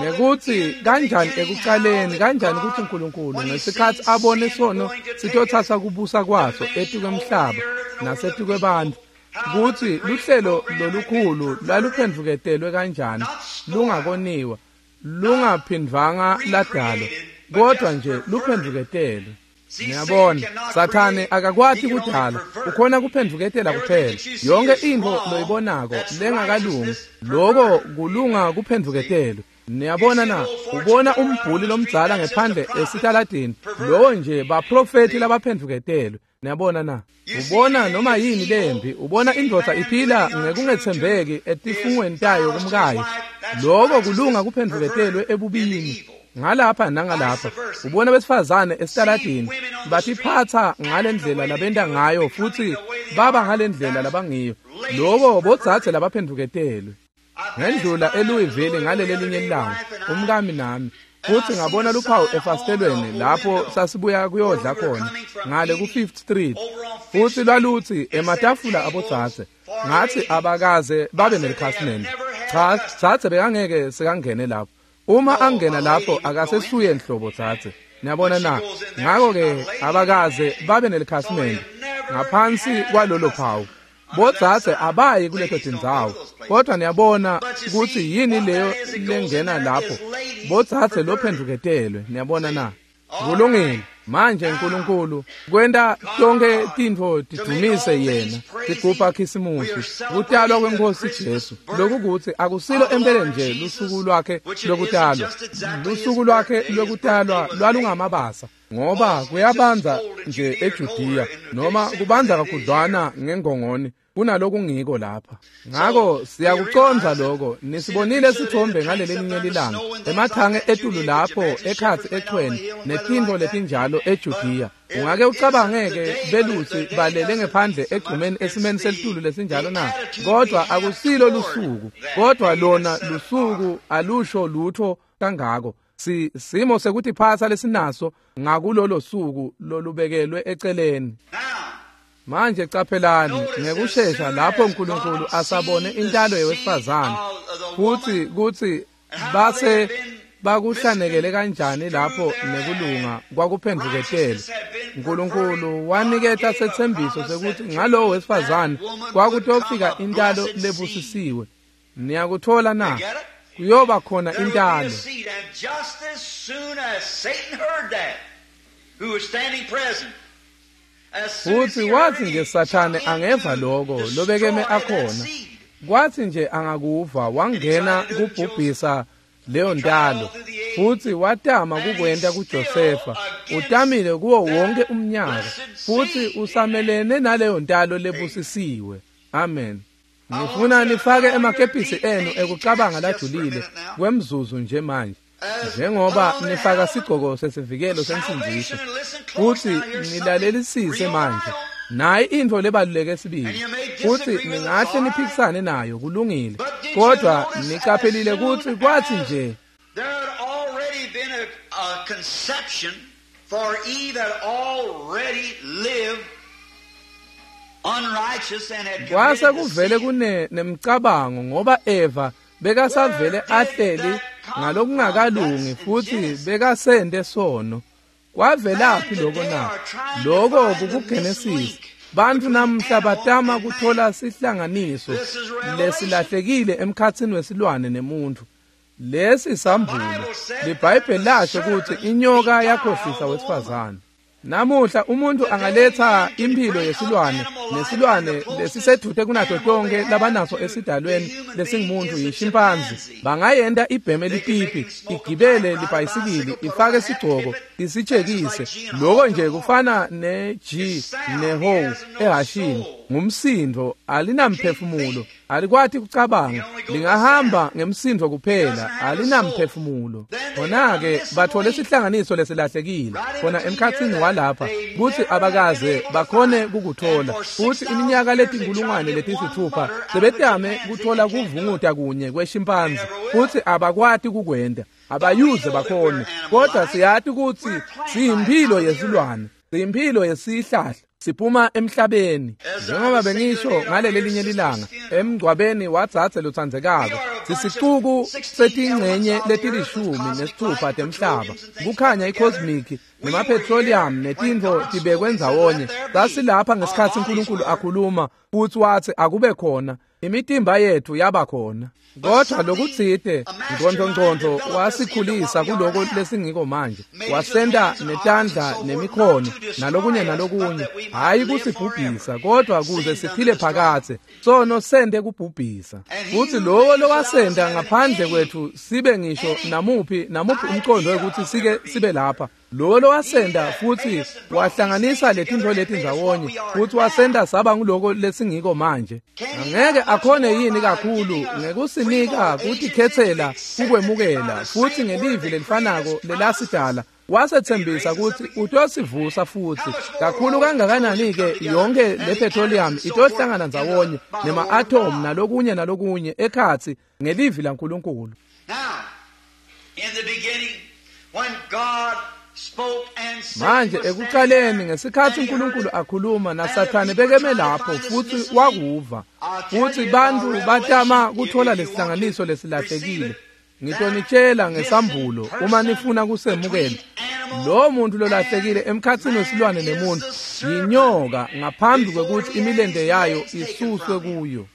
Nekuthi kanjani ekucaleni, kanjani ukuthi uNkulunkulu ngesikhathi abone sono sitothatha kubusa kwaso etukwemhlaba nasetukwebantu, kuthi luhlelo lolukhulu laluphendvuketelwe kanjani, lungakoniwa, lungaphindvanga ladalwa, kodwa nje luphendvuketelwe. Niyabona, Sathane akakwati kudala, ukhona kuphendvuketela kuphela. Yonke intfo loyibonako lengakalungi, loko kulunga kuphendvuketelwe. Niyabona na, ubona umbhuli lomdzala ngephandle esitaladini, lowo nje baprofethi labaphendvuketelwe. Niyabona na, ubona noma yini lembi, ubona indvodza iphila ngekungetsembeki etifungweni tayo kumkayo, loko kulunga kuphendvuketelwe ebubini. Ngalapha nangalapha ubona besifazane esitaladini batiphatsa ngalendlela labenta ngayo futhi baba ngalendlela labangiyo, loko bodzadze labaphendvuketelwe. Ngendlula eLouisville ngaleli linye ilanga, umkami nami, futhi ngabona luphawu efasitelweni lapho sasibuya kuyodla khona ngale ku-Fifth Street, futhi lwalutsi ematafula abodzadze. Ngathi abakaze babe nelikhasimende. Cha, dzadze bekangeke sekangene lapho. Uma angena lapho akasesuye nhlobo dzadze. Niyabona na? Ngakho-ke abakaze babe nelikhasimende ngaphansi kwalolo phawu. Bodzadze abayi kuleto tindzawo, kodwa niyabona kutsi yini leyo lengena lapho. Bodzadze lophendvuketelwe, niyabona na? Kulungile. Manje uNkulunkulu kwenta tonke tintfo tidumise yena. Sigubha Khisimusi, kutalwa kweNkosi Jesu. Lokhu kuthi akusilo empeleni nje lusuku lwakhe lokutalwa. Lusuku lwakhe lokutalwa lwalungamabasa, ngoba kuyabanza nje eJudiya, noma kubanza kakhudlwana ngengongoni kunalokungiko lapha. Ngako siyakucondza lokho. Nisibonile sithombe ngalelelinye lilanga, emathange etulu lapho ekhatsi echweni netintfo letinjalo eJudiya. Ungake ucabangeke belusi balele ngephandle egcumeni esimeni selitulu lesinjalo na? Kodwa akusilo lusuku, kodwa lona lusuku alusho lutho kangako. Simo sekutiphatsa lesinaso ngakulolo suku lolubekelwe eceleni. Manje caphelani ngekushesha lapho uNkulunkulu asabone intalo yewesifazane, futhi kutsi base bakuhlanekele kanjani lapho nekulunga kwakuphendvuketele. uNkulunkulu waniketa setsembiso sekuthi ngalowo wesifazane kwakutofika intalo lebusisiwe. Niyakuthola na? Kuyoba khona intalo. Futhi wathi nje Sathane angeva lokho lobekeme akhona, kwathi nje angakuva wangena kubhubhisa leyo ntalo, futhi watama kukwenta kuJosefa. Utamile kuwo wonke umnyaka, futhi usamelene naleyo ntalo lebusisiwe. Amen. Ngifuna nifake emakepisi enu ekucabanga lajulile kwemzuzu nje manje, njengoba nifaka sigcoko sesivikelo sensindziso, futhi nilalelisise manje. Nayi intfo lebaluleke sibili, futhi ningahle niphikisane nayo, kulungile, kodwa niqaphelile kutsi kwathi nje There had already been a conception, for Eve had already lived unrighteous and had kwase committed the kuvele sin. kune nemcabango, ngoba Eva bekasavele ahleli ngalokungakalungi futhi bekasente sono. Kwavelaphi lokho na? Lokho kukuGenesis. Bantfu namhla batama kuthola sihlanganiso lesilahlekile emkhatsini wesilwane nemuntfu. Lesi sambulo. LiBhayibheli lasho kutsi inyoka yakhohlisa wesifazane. Namuhla umuntu angaletha impilo yesilwane, nesilwane lesisedute kunato tonke labanaso esidalweni lesingumuntu yishimpanzi. Bangayenta ibheme lipipi, igibele libhayisikili, ifake sigcoko, isitshekise. Lokho nje kufana ne-G ne-ho ehashini. Ngumsindo, alinamphefumulo, alikwati kucabanga, lingahamba ngemsindo kuphela, alinamphefumulo. Khona-ke bathole sihlanganiso lesilahlekile khona emkhatsini walapha, kutsi abakaze bakhone kukuthola. Futhi iminyaka letinkulungwane letisithupha sebetame kuthola kuvunguta kunye kweshimpanzi, futhi abakwati kukwenta, abayuze bakhone. Kodwa siyati kutsi siyimphilo yesilwane, siyimphilo yesihlahla, siphuma emhlabeni. Njengoba bengisho ngaleli linye lilanga emngcwabeni wadzadze lotsandzekako, sisicuku setingcenye leti-16 temhlaba, kukhanya i-cosmic nemapetroleum netintfo tibekwe ndzawonye. Sasilapha ngesikhatsi uNkulunkulu akhuluma futhi wathi akube khona, imitimba yethu yaba khona. Kodwa lokutsite ngqondongqondo wasikhulisa kuloko lesingiko manje, wasenta netandla nemikhono nalokunye nalokunye, hhayi kusibhubhisa, kodwa kuze siphile phakathe. Sono sente kubhubhisa, futhi lowo lowasenta ngaphandle kwethu sibe ngisho namuphi umqondo wekuthi sike sibe lapha, lowo lowasenta futhi wahlanganisa letintfo leti ndzawonye futhi wasenta saba nguloko lesingiko manje, angeke akhone yini kakhulu ngekusinika kutikhetsela kukwemukela futhi ngelivi lelifanako lelasidala wasethembisa kutsi utosivusa futhi? Kakhulu kangakanani-ke yonke le petroleum itohlangana ndzawonye nema-atom nalokunye nalokunye ekhatsi ngelivi laNkulunkulu. Now, in the beginning, when God Manje ekuqaleni ngesikhathi uNkulunkulu akhuluma naSathane bekeme lapho futhi wakuva, futhi bantu batama kuthola lesihlanganiso lesilahlekile. Ngitonitshela ngesambulo uma nifuna kusemukela. Lo muntu lolahlekile emkhathini wesilwane nemuntu yinyoka ngaphambi kwekuthi imilende yayo isuswe kuyo.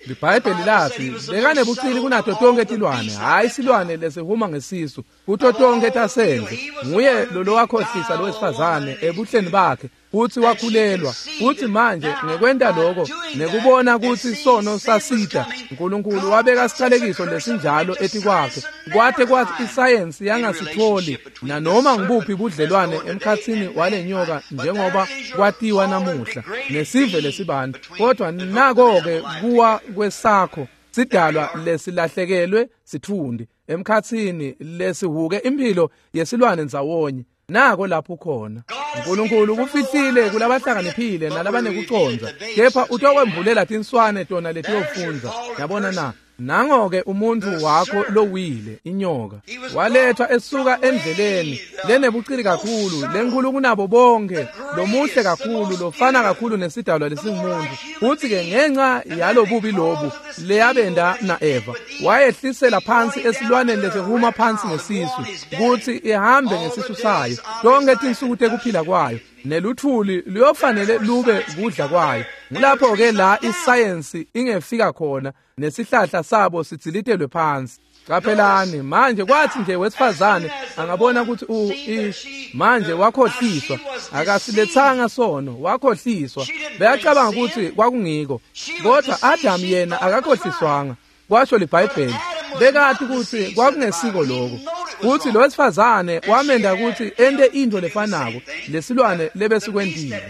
IBhayibheli lathi bekanebucili kunato tonke tilwane, hayi silwane lesihuma ngesisu, kuto tonke tasendle. Nguye lo wakhohlisa lo wesifazane ebuhleni bakhe futhi wakhulelwa. Futhi manje ngekwenta lokho nekubona ukuthi sono sasida, uNkulunkulu wabeka siqalekiso lesinjalo etikwakhe kwathe kwathi isayensi yangasitholi nanoma ngibuphi budlelwane emkhathini walenyoka njengoba kwatiwa namuhla nesive lesibantu. Kodwa nako-ke kuwa kwesakho sidalwa lesilahlekelwe sithundi emkhathini lesihuke impilo yesilwane ndzawonye. Nako lapho khona uNkulunkulu kufihlile kulabahlakaniphile nalabanekucondza, kepha utokwembulela tinswane tona letiyofundza. Yabona na? Nango-ke umuntu wakho lowile, inyoka, walethwa esuka endleleni lenebucili kakhulu, lenkulu kunabo bonke, lomuhle kakhulu, lofana kakhulu nesidalwa lesingumuntu. Futhi-ke ngenxa yalobubi lobu leyabenda na-Eva, wayehlisela phansi esilwaneni lesihuma phansi ngesisu, kuthi ihambe ngesisu sayo tonke tinsuku tekuphila kwayo, neluthuli luyofanele lube kudla kwayo. Ngulapho-ke la isayensi ingefika khona nesihlahla sabo sidzilitelwe phansi. Qaphelani manje, kwathi nje wesifazane angabona ukuthi manje wakhohliswa, akasilethanga sono, wakhohliswa. Beyacabanga ukuthi kwakungiko, kodwa Adam yena akakhohliswanga, kwasho liBhayibheli. Bekathi ukuthi kwakungesiko lokho. Futhi lo wesifazane wamenda ukuthi ente into lefanako lesilwane lebesikwentile.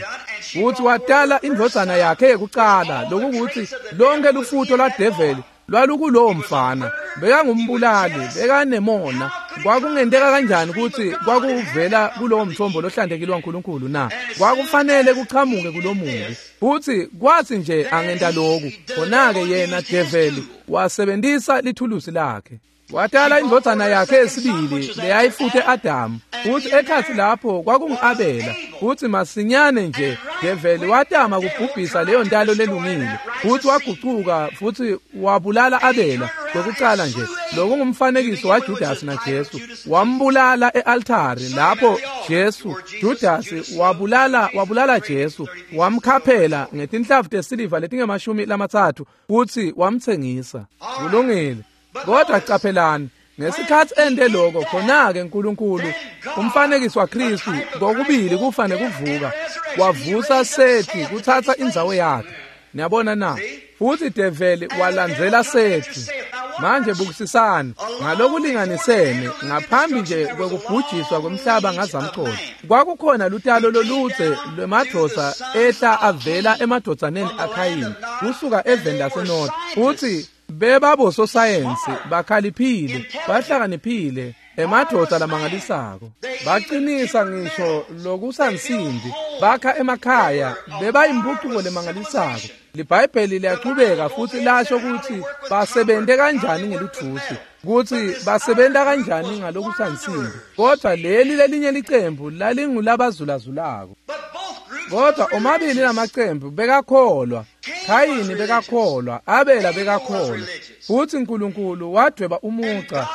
Futhi watala indvodzana yakhe yekucala, lokukuthi lonke lufutho lwadeveli lwalukulowo mfana. Bekangumbulali, bekanemona. Kwakungenteka kanjani ukuthi kwakuvela kulowo mthombo lohlantekile waNkulunkulu na? Kwakufanele kuchamuke kulomubi. Futhi kwathi nje angenta lokhu, khona-ke yena develi wasebenzisa lithulusi lakhe. Watala indvodzana yakhe yesibili leyayifute Adamu, futhi ekhathi lapho kwakungu-Abela. Futhi masinyane nje develi watama kubhubhisa leyo ntalo lelungile, futhi wagucuka futhi wabulala Abela kwekucala nje. Lokungumfanekiso waJudasi naJesu. Wambulala e-altari lapho Jesu, Judasi wabulala Jesu, wamkhaphela ngetinhlavu tesiliva letingama-30 futhi wamtsengisa. Kulungile. Kodwa qaphelani, ngesikhathi ende lokho, khona-ke uNkulunkulu, umfanekiso waKristu, kokubili kufa nekuvuka, wavusa Sethi kuthatha indzawo yakhe. Niyabona na? Futhi develi walandzela Sethi. Manje bukisisani ngalokulinganisene ngaphambi nje kwekubhujiswa kwemhlaba ngazamcolo, kwakukhona lutalo loludze lwemadvodza ehla avela emadvodzaneni aKhayini kusuka eveni laseNorth. Futhi bebabososayensi bakhaliphile, bahlakaniphile, emadvodza lamangalisako. Baqinisa ngisho lokusansimbi, bakha emakhaya, bebayimpucuko lemangalisako. LiBhayibheli liyachubeka futhi lasho ukuthi basebente kanjani ngeluthusi, ukuthi basebenta kanjani ngalokusansimbi. Kodwa leli lelinye licembu lalingulabazulazulako. Kodwa omabili lamacembu bekakholwa. Khayini bekakholwa, Abela bekakholwa. Futhi uNkulunkulu wadweba umuca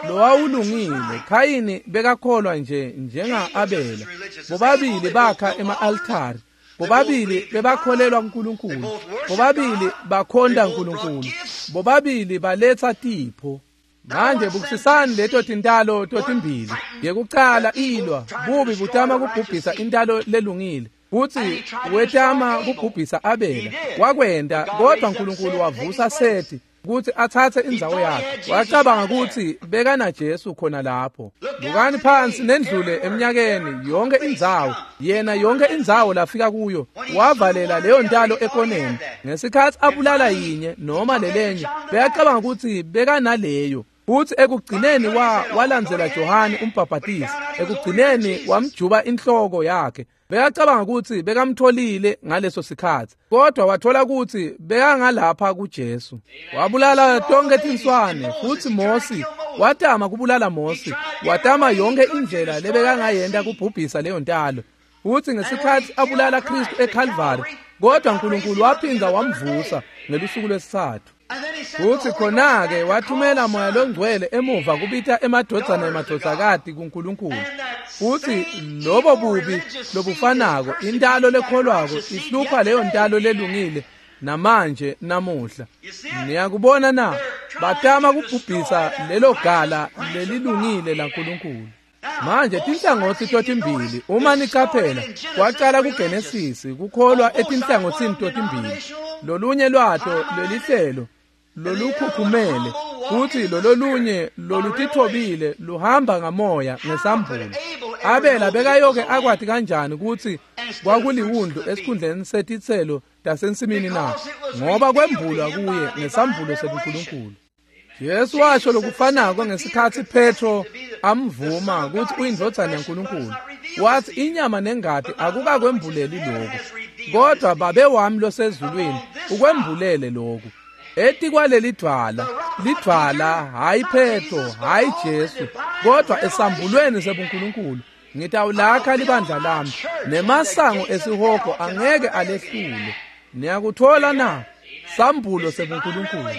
lowawulungile. Khayini bekakholwa nje njenga-Abela. Bobabili bakha ema-altari. Bobabili bebakholelwa kuNkulunkulu. Bobabili bakhonta uNkulunkulu. Bobabili baletha tipho. Manje bukisisani leto tintalo totimbili. Yekucala ilwa, bubi butama kubhubhisa intalo lelungile. Futhi wetama kubhubhisa Abela. Wakwenta, kodwa uNkulunkulu wavusa Sethi ukuthi athathe indzawo yakhe. Wacabanga ukuthi bekana Jesu khona lapho. Bukani phansi nendlule eminyakeni yonke indzawo, yena yonke indzawo lafika kuyo wavalela leyo ntalo ekoneni. Ngesikhathi abulala yinye noma lelenye, beyacabanga ukuthi bekanaleyo. Futhi ekugcineni walandzela Johane umbhabhatisi. Ekugcineni wamjuba inhloko yakhe. Bekacabanga kutsi bekamtholile ngaleso sikhatsi, kodwa wathola kutsi bekangalapha kuJesu. Wabulala tonke tinswane, futsi Mosi watama kubulala Mosi, watama yonke indlela lebekangayenta kubhubhisa leyo ntalo. Futsi ngesikhatsi abulala Kristu eCalvary, kodwa uNkulunkulu waphinda wamvusa ngelusuku lwesithathu. Futsi khona-ke wathumela Moya Longcwele emuva kubita emadvodzana nemadvodzakati kuNkulunkulu. Futsi lobo bubi lobufanako, intalo lekholwako ihlupha leyo ntalo lelungile namanje namuhla. Niyakubona na? Batama kubhubhisa lelo gala lelilungile laNkulunkulu. Manje tinhlangothi totimbili, uma nicaphela, kwacala kuGenesisi kukholwa etinhlangothini totimbili. Lolunye lwato lelihlelo lolukhukhumele, futhi lololunye lolutithobile luhamba ngamoya ngesambulo. Abela bekayoke akwati kanjani kutsi kwakuliwundlu esikhundleni setitselo tasensimini na? Ngoba kwembulwa kuye ngesambulo sebuNkulunkulu. Jesu washo lokufanako ngesikhatsi Petro amvuma kutsi uyindvodzana yaNkulunkulu. Wathi inyama nengati akukakwembuleli lokhu, kodwa Babe wami losezulwini ukwembulele lokhu. Etikwaleli dvwala, lidvwala hayi Petro, hayi Jesu, kodwa esambulweni sebuNkulunkulu ngitawulakha libandla lami, nemasango esihogo angeke alehlule. Niyakuthola na? Sambulo sebuNkulunkulu.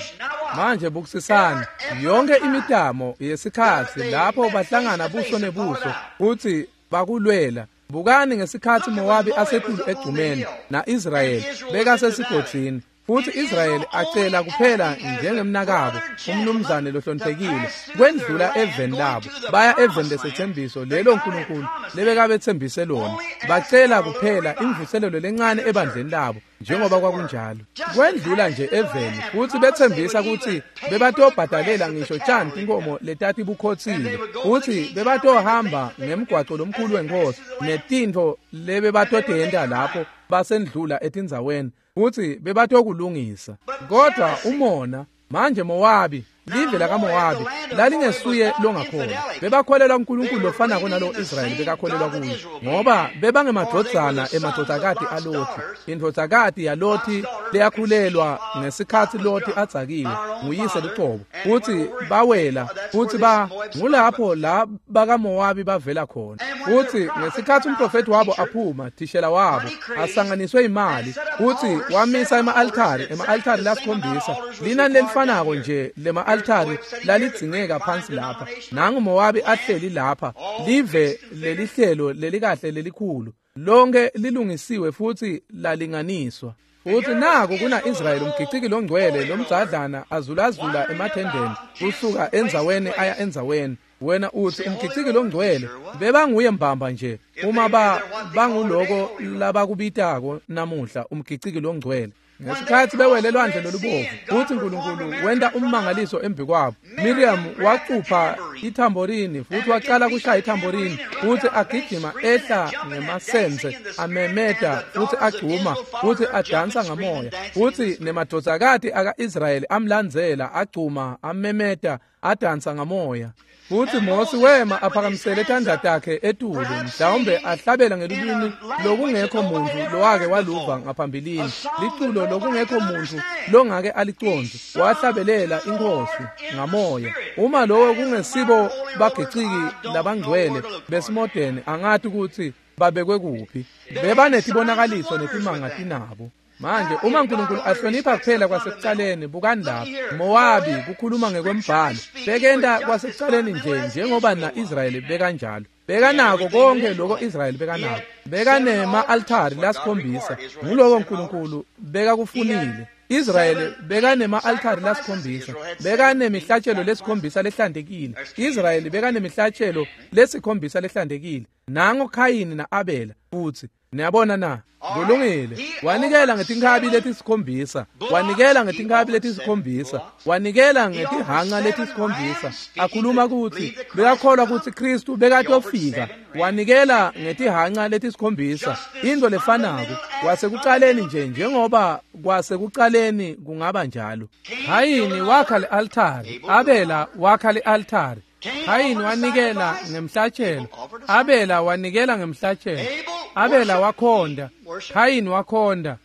Manje bukisisani yonke imitamo yesikhatsi lapho bahlangana buso nebuso kutsi bakulwela. Bukani ngesikhatsi Mowabi asetulu egcumeni na-Israyeli bekasesigodzini, futhi Israyeli acela kuphela njengemnakabo umnumzane lohloniphekile kwendlula eveni labo baya eveni lesethembiso lelo uNkulunkulu lebekabethembise lona. Bacela kuphela imvuselelo lencane ebandleni labo njengoba kwakunjalo, kwendlula nje eveni, futhi bethembisa kutsi bebatobhadalela ngisho tshani tinkomo letatibukhotsile, futhi bebatohamba ngemgwaco lomkhulu wenkosi netintfo lebebatotenta lapho basendlula etindzaweni, futhi bebatokulungisa. Kodwa umona manje Mowabi, live lakaMowabi lalingesuye longakholwa. Bebakholelwa uNkulunkulu lofanako nalo Israyeli bekakholelwa kuye, ngoba bebangemadvodzana emadvodzakati aLothi. Indvodzakati yaLothi leyakhulelwa ngesikhatsi Lothi adzakiwe nguyise lucobo, futhi bawela, futhi ngulapho la bakaMowabi bavela khona. Futhi ngesikhatsi umprofethi wabo aphuma, thishela wabo asanganiswe imali, futhi wamisa ema-altari, ema-altari lasikhombisa, linani lelifanako nje lema-altari lalidzingeka phansi lapha. Nangu Mowabi ahleli lapha, live lelihlelo lelikahle lelikhulu, lonke lilungisiwe futhi lalinganiswa. Futhi naku kuna Israyeli umgiciki longcwele lomdzadlana azulazula emathendeni kusuka endzaweni aya endzaweni. Wena uthi umgiciki longcwele, bebanguye mbamba nje uma banguloko labakubitako namuhla umgiciki longcwele. Ngesikhatsi bewele lwandle lolubovu, futhi uNkulunkulu wenta ummangaliso embi kwabo. Miriam wacupha ithamborini futhi waqala kushaya ithamborini, futhi agijima ehla ngemasense amemeta futhi agcuma futhi adansa ngamoya, futhi nemadvodzakati aka-Israyeli amlandzela agcuma amemeta adansa ngamoya. Futhi Mosi wema aphakamisele tandla takhe etulu, mhlawumbe ahlabela ngelulwimi lokungekho muntu lowake waluva ngaphambilini, liculo lokungekho muntu longake alicondze. Wahlabelela inkosi ngamoya. Uma lowo kungesibo bagiciki labangcwele besimodeni, angati ukuthi babekwe kuphi. Bebanetibonakaliso netimanga tinabo. Manje uma uNkulunkulu ahlonipha kuphela kwasekucaleni, bukani lapha Mowabi kukhuluma ngekwembhalo, bekenta kwasekucaleni nje njengoba na-Israyeli bekanjalo. Bekanako konke lokho Israyeli bekanako. Bekanema-altari lasikhombisa, nguloko uNkulunkulu bekakufunile. Israyeli bekanema-altari lasikhombisa, bekanemihlatshelo lesikhombisa lehlantekile. Israyeli bekanemihlatshelo lesikhombisa lehlantekile. Nango Khayini na-Abela futhi. Niyabona na? Kulungile. Wanikela ngetinkhabi letisikhombisa, wanikela ngetinkhabi letisikhombisa, wanikela ngetihanca letisikhombisa. Akhuluma kutsi bekakholwa kutsi Kristu bekatofika. Wanikela ngetihanca letisikhombisa, into lefanako kwasekucaleni nje njengoba kwasekucaleni kungaba njalo. Khayini wakha le-altari, Abela wakha le-altari. Khayini wanikela ngemhlatshelo, Abela wanikela ngemhlatshelo. Abela wakhonda, Khayini wakhonda,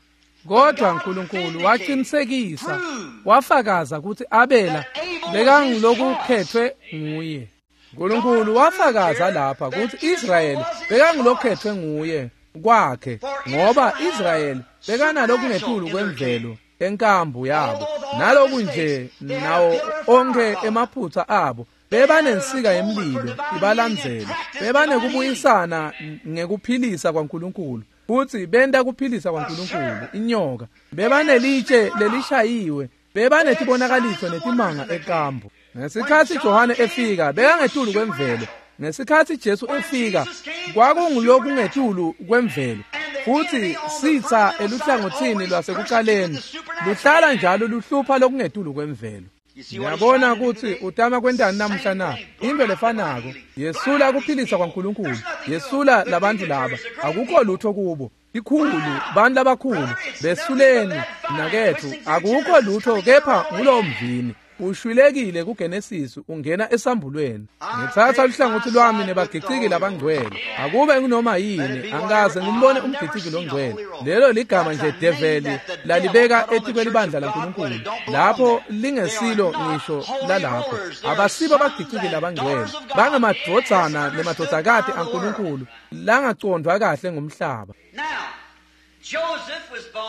kodwa uNkulunkulu waqinisekisa, wafakaza ukuthi Abela bekangulokukhethwe nguye. uNkulunkulu wafakaza lapha ukuthi Israyeli bekangulokhethwe nguye kwakhe, ngoba Israyeli bekanalokungetulu kwemvelo enkambu yabo, naloku nje nawo onke emaphutha abo bebanensika yemlilo ibalandzela, bebanekubuyisana ngekuphilisa kwaNkulunkulu, futhi benta kuphilisa kwaNkulunkulu inyoka, bebanelitshe lelishayiwe, bebanetibonakaliso netimanga ekambu. Ngesikhathi Johane efika bekangetulu kwemvelo, ngesikhathi Jesu efika kwakungulokungetulu kwemvelo, futhi sitha eluhlangothini lwasekuqaleni luhlala njalo luhlupha lokungetulu kwemvelo. Ngiyabona ukuthi utama kwentani namuhla na? Into lefanako, yesula kuphilisa kwaNkulunkulu, yesula labantu laba, akukho lutho kubo. Ikhulu, bantu labakhulu, besuleni nakethu, akukho lutho kepha ngulowo mvini. Ushwilekile kuGenesis ungena esambulweni. Ngithatha luhlangothi lwami nebagiciki labangcwele. Akube ngunoma yini, angikaze ngimbone umgiciki longcwele. Lelo ligama nje develi lalibeka etikwelibandla laNkulunkulu, lapho lingesilo ngisho lalapho. Abasibo abagiciki labangcwele, bangemadvodzana nemadvodzakati aNkulunkulu langacondvwa kahle ngumhlaba.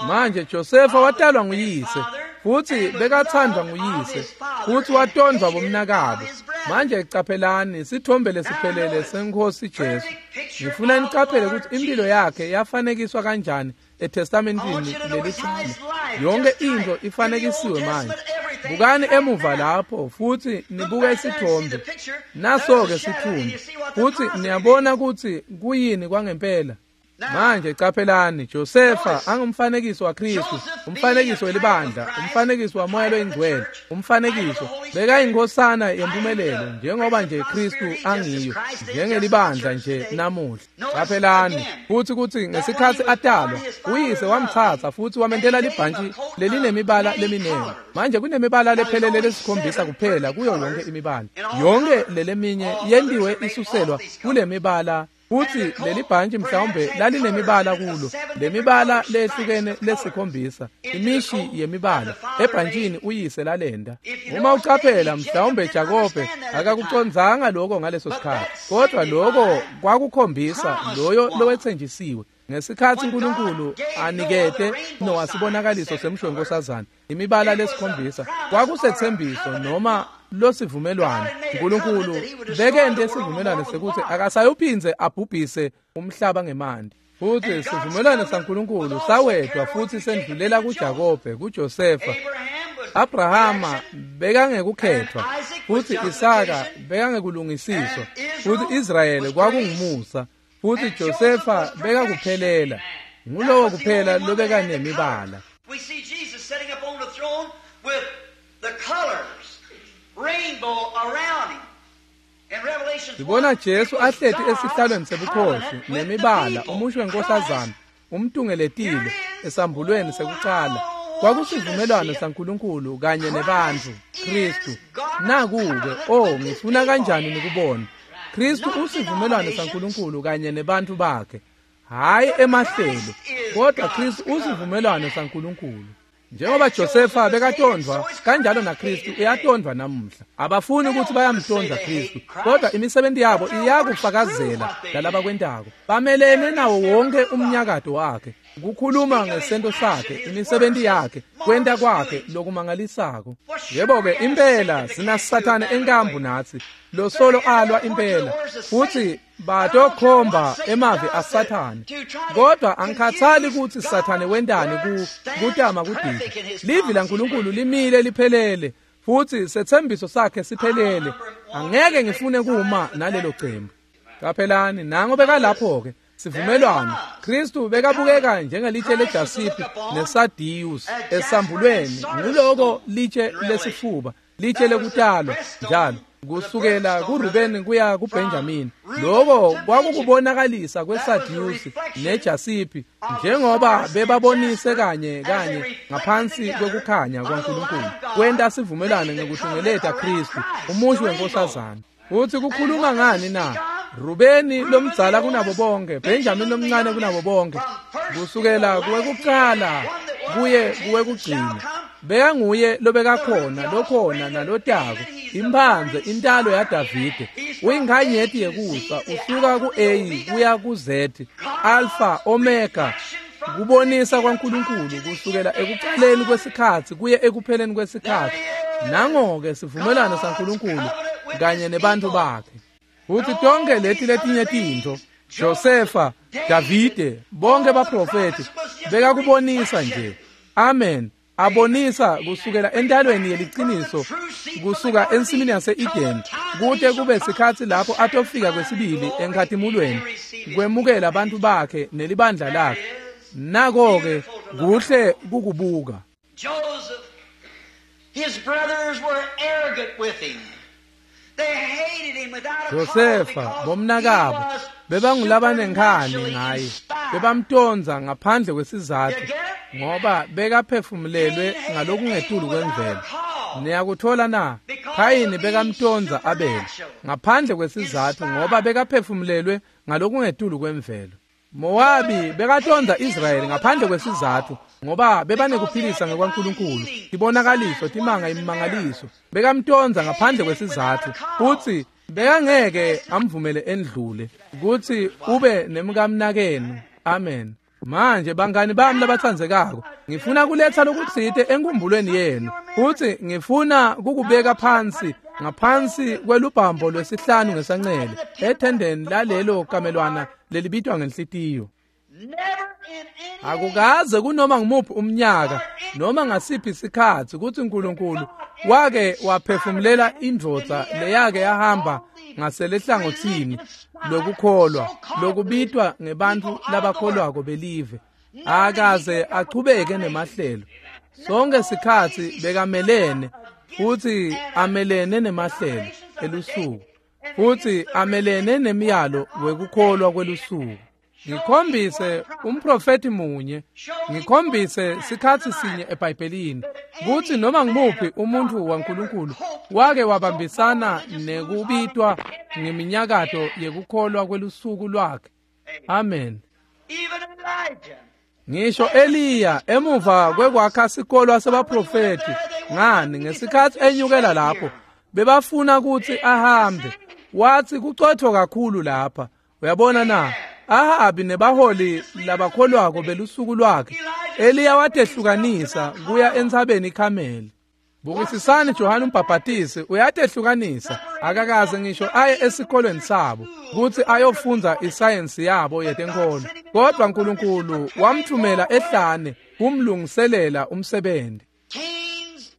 Manje Josefa watalwa nguyise, futhi bekathandwa nguyise, futhi watondwa bomnakabo. Manje caphelani sithombe lesiphelele senkosi Jesu. Ngifuna nicaphele ukuthi impilo yakhe yafanekiswa kanjani eTestamentini leliDala. Yonke into ifanekisiwe manje. Bukani emuva lapho futhi nibuke isithombe. Naso-ke sithunzi, futhi niyabona ukuthi kuyini kwangempela. Manje caphelani, Josefa angumfanekiso waKristu, umfanekiso welibandla, umfanekiso waMoya loyiNgcwele, umfanekiso bekayinkhosana yempumelelo njengoba nje Kristu angiyo, njengelibandla nje namuhla. Caphelani futhi ukuthi ngesikhathi atalwa, uyise wamthatha futhi wamentela libhantshi lelinemibala leminingi. Manje kunemibala lephelele lesikhombisa kuphela kuyo yonke imibala. Yonke leleminye yentiwe isuselwa kulemibala. Futhi leli bhantshi mhlawumbe lalinemibala kulo, lemibala lehlukene lesikhombisa, imishi yemibala ebhantshini uyise lalenda. Uma ucaphela mhlawumbe Jakobe akakucondzanga lokho ngaleso sikhathi, kodwa lokho kwakukhombisa loyo lowethenjisiwe. Ngesikhathi uNkulunkulu anikete Noah sibonakaliso semsho wenkosazana, imibala lesikhombisa kwakusethembiso noma losivumelwano. uNkulunkulu bekente isivumelwano sekuthi akasayuphindze abhubhise umhlaba ngemanti. Futhi sivumelwano saNkulunkulu sawedwa futhi sendlulela kuJakobe, kuJosefa. Abrahama bekangekukhethwa, futhi Isaka bekangekulungisiswa, futhi Israyeli kwakungumusa, futhi Josefa bekakuphelela. Ngulowo kuphela lobekanemibala. We see Jesus sitting up on the throne with the colors, rainbow around him. In Revelation Sibona Jesu ahleti esihlalweni sebukhosi nemibala, umusho wenkosazana umtungeletile esambulweni sekucala. Kwakusivumelwano saNkulunkulu kanye nebantfu, Kristu. Naku-ke, oh, ngifuna kanjani nikubona. Kristu usivumelwano saNkulunkulu kanye nebantfu bakhe, hhayi emahlelo, kodwa Kristu usivumelwano saNkulunkulu. Njengoba Josefa bekatondvwa, kanjalo naKristu uyatondvwa namuhla. Abafuni ukuthi bayamtonda Kristu, kodwa imisebenzi yabo iyakufakazela lalabakwentako. Bamelene nawo wonke umnyakato wakhe, kukhuluma ngesento sakhe, imisebenzi yakhe, kwenta kwakhe lokumangalisako. Yebo-ke impela sinaSathane enkambu nathi, lo solo alwa impela, futhi batokhomba emavi aSathane. Kodwa angikhathali ukuthi Sathane wentani kutama kudida. Livi laNkulunkulu limile liphelele, futhi sethembiso sakhe siphelele. Angeke ngifune kuma nalelo cembu. Caphelani, nango bekalapho-ke sivumelwano. Kristu bekabukeka njengelitshe lejasipi nesadiyus esambulweni, nguloko litshe lesifuba, litshe lekutalwa njalo kusukela kuRubeni kuya kuBenjamin. Lokho kwakukubonakalisa kweSadusi neJasipi, njengoba bebabonise kanye kanye ngaphansi kwekukhanya kwaNkulunkulu, kwenta sivumelwano ngekutungeleta Kristu, umusho wenkosazana. Uthi kukhuluma ngani na? Rubeni lomdzala kunabo bonke, Benjamin lomncane kunabo bonke, kusukela kuwekuqala kuye kuwekugcina. Bekanguye lobekakhona, lokhona nalotako, imphandze intalo yaDavide, uyinkanyeti yekusa, usuka ku-A kuya ku-Z, Alpha, Omega, kubonisa kwaNkulunkulu kusukela ekuqaleni kwesikhatsi kuye ekupheleni kwesikhatsi. Nango-ke sivumelwano saNkulunkulu kanye nebantu bakhe. Futhi tonke leti letinye tintfo, Josefa, Davide, bonke baprofethi bekakubonisa nje. Amen. Abonisa kusukela entalweni yeliciniso, kusuka ensimini yase-Eden, kute kube sikhatsi lapho atofika kwesibili enkhatimulweni, kwemukela abantu bakhe nelibandla lakhe. Nako-ke kuhle kukubuka. Joseph, his brothers were arrogant with him. They hated him without a cause Josefa because bomnakabo he was bebangulabanenkhani supernaturally ngaye, inspired. bebamtonza ngaphandle kwesizatfu You get it? ngoba bekaphefumulelwe ngalokungetulu kwemvelo. Niyakuthola na? Khayini bekamtonza Abel ngaphandle kwesizatfu ngoba bekaphefumulelwe ngalokungetulu kwemvelo. Mowabi bekatonza Israyeli ngaphandle kwesizatfu ngoba bebanekuphilisa ngekwaNkulunkulu, tibonakaliso, timanga, imimangaliso. Bekamtonza ngaphandle kwesizatfu futsi bekangeke amvumele endlule kutsi ube nemkamnakenu. Amen. Manje bangani bami labatsandzekako, ngifuna kuletsa lokutsite enkhumbulweni yenu futsi ngifuna kukubeka phansi ngaphansi kwelubhambo lwesihlanu ngesancele ethendeni lalelo kamelwana lelibitwa ngenhlitiyo. Never in any Akukaze kunoma ngumuphi umnyaka noma ngasiphi isikhatsi kutsi uNkulunkulu wake waphefumulela indvodza leyake yahamba ngaselehlangotsini lokukholwa lokubitwa ngebantfu labakholwako belive. Akaze achubeke nemahlelo. Sonke sikhatsi bekamelene futsi amelene nemahlelo elusuku futsi amelene nemiyalo wekukholwa kwelusuku. Ngikhombise umprofeti munye, ngikhombise sikhatsi sinye eBhayibhelini kutsi noma ngumuphi umuntfu waNkulunkulu wake wabambisana nekubitwa ngeminyakato yekukholwa kwelusuku lwakhe. Amen. Even Elijah. Ngisho Eliya emuva kwekwakha sikolwa sebaprofeti, ngani ngesikhatsi enyukela lapho bebafuna kutsi ahambe, wathi kucotfo kakhulu lapha. Uyabona na? Ahabi nebaholi labakholwako belusuku lwakhe. Eliya watehlukanisa kuya entsabeni iKhameli. Bukisisani Johane umbhabhatisi uyatehlukanisa, akakaze ngisho aye esikolweni sabo kutsi ayofundza isayensi yabo yetenkholo, kodwa uNkulunkulu wamthumela ehlane kumlungiselela umsebenzi. Cain's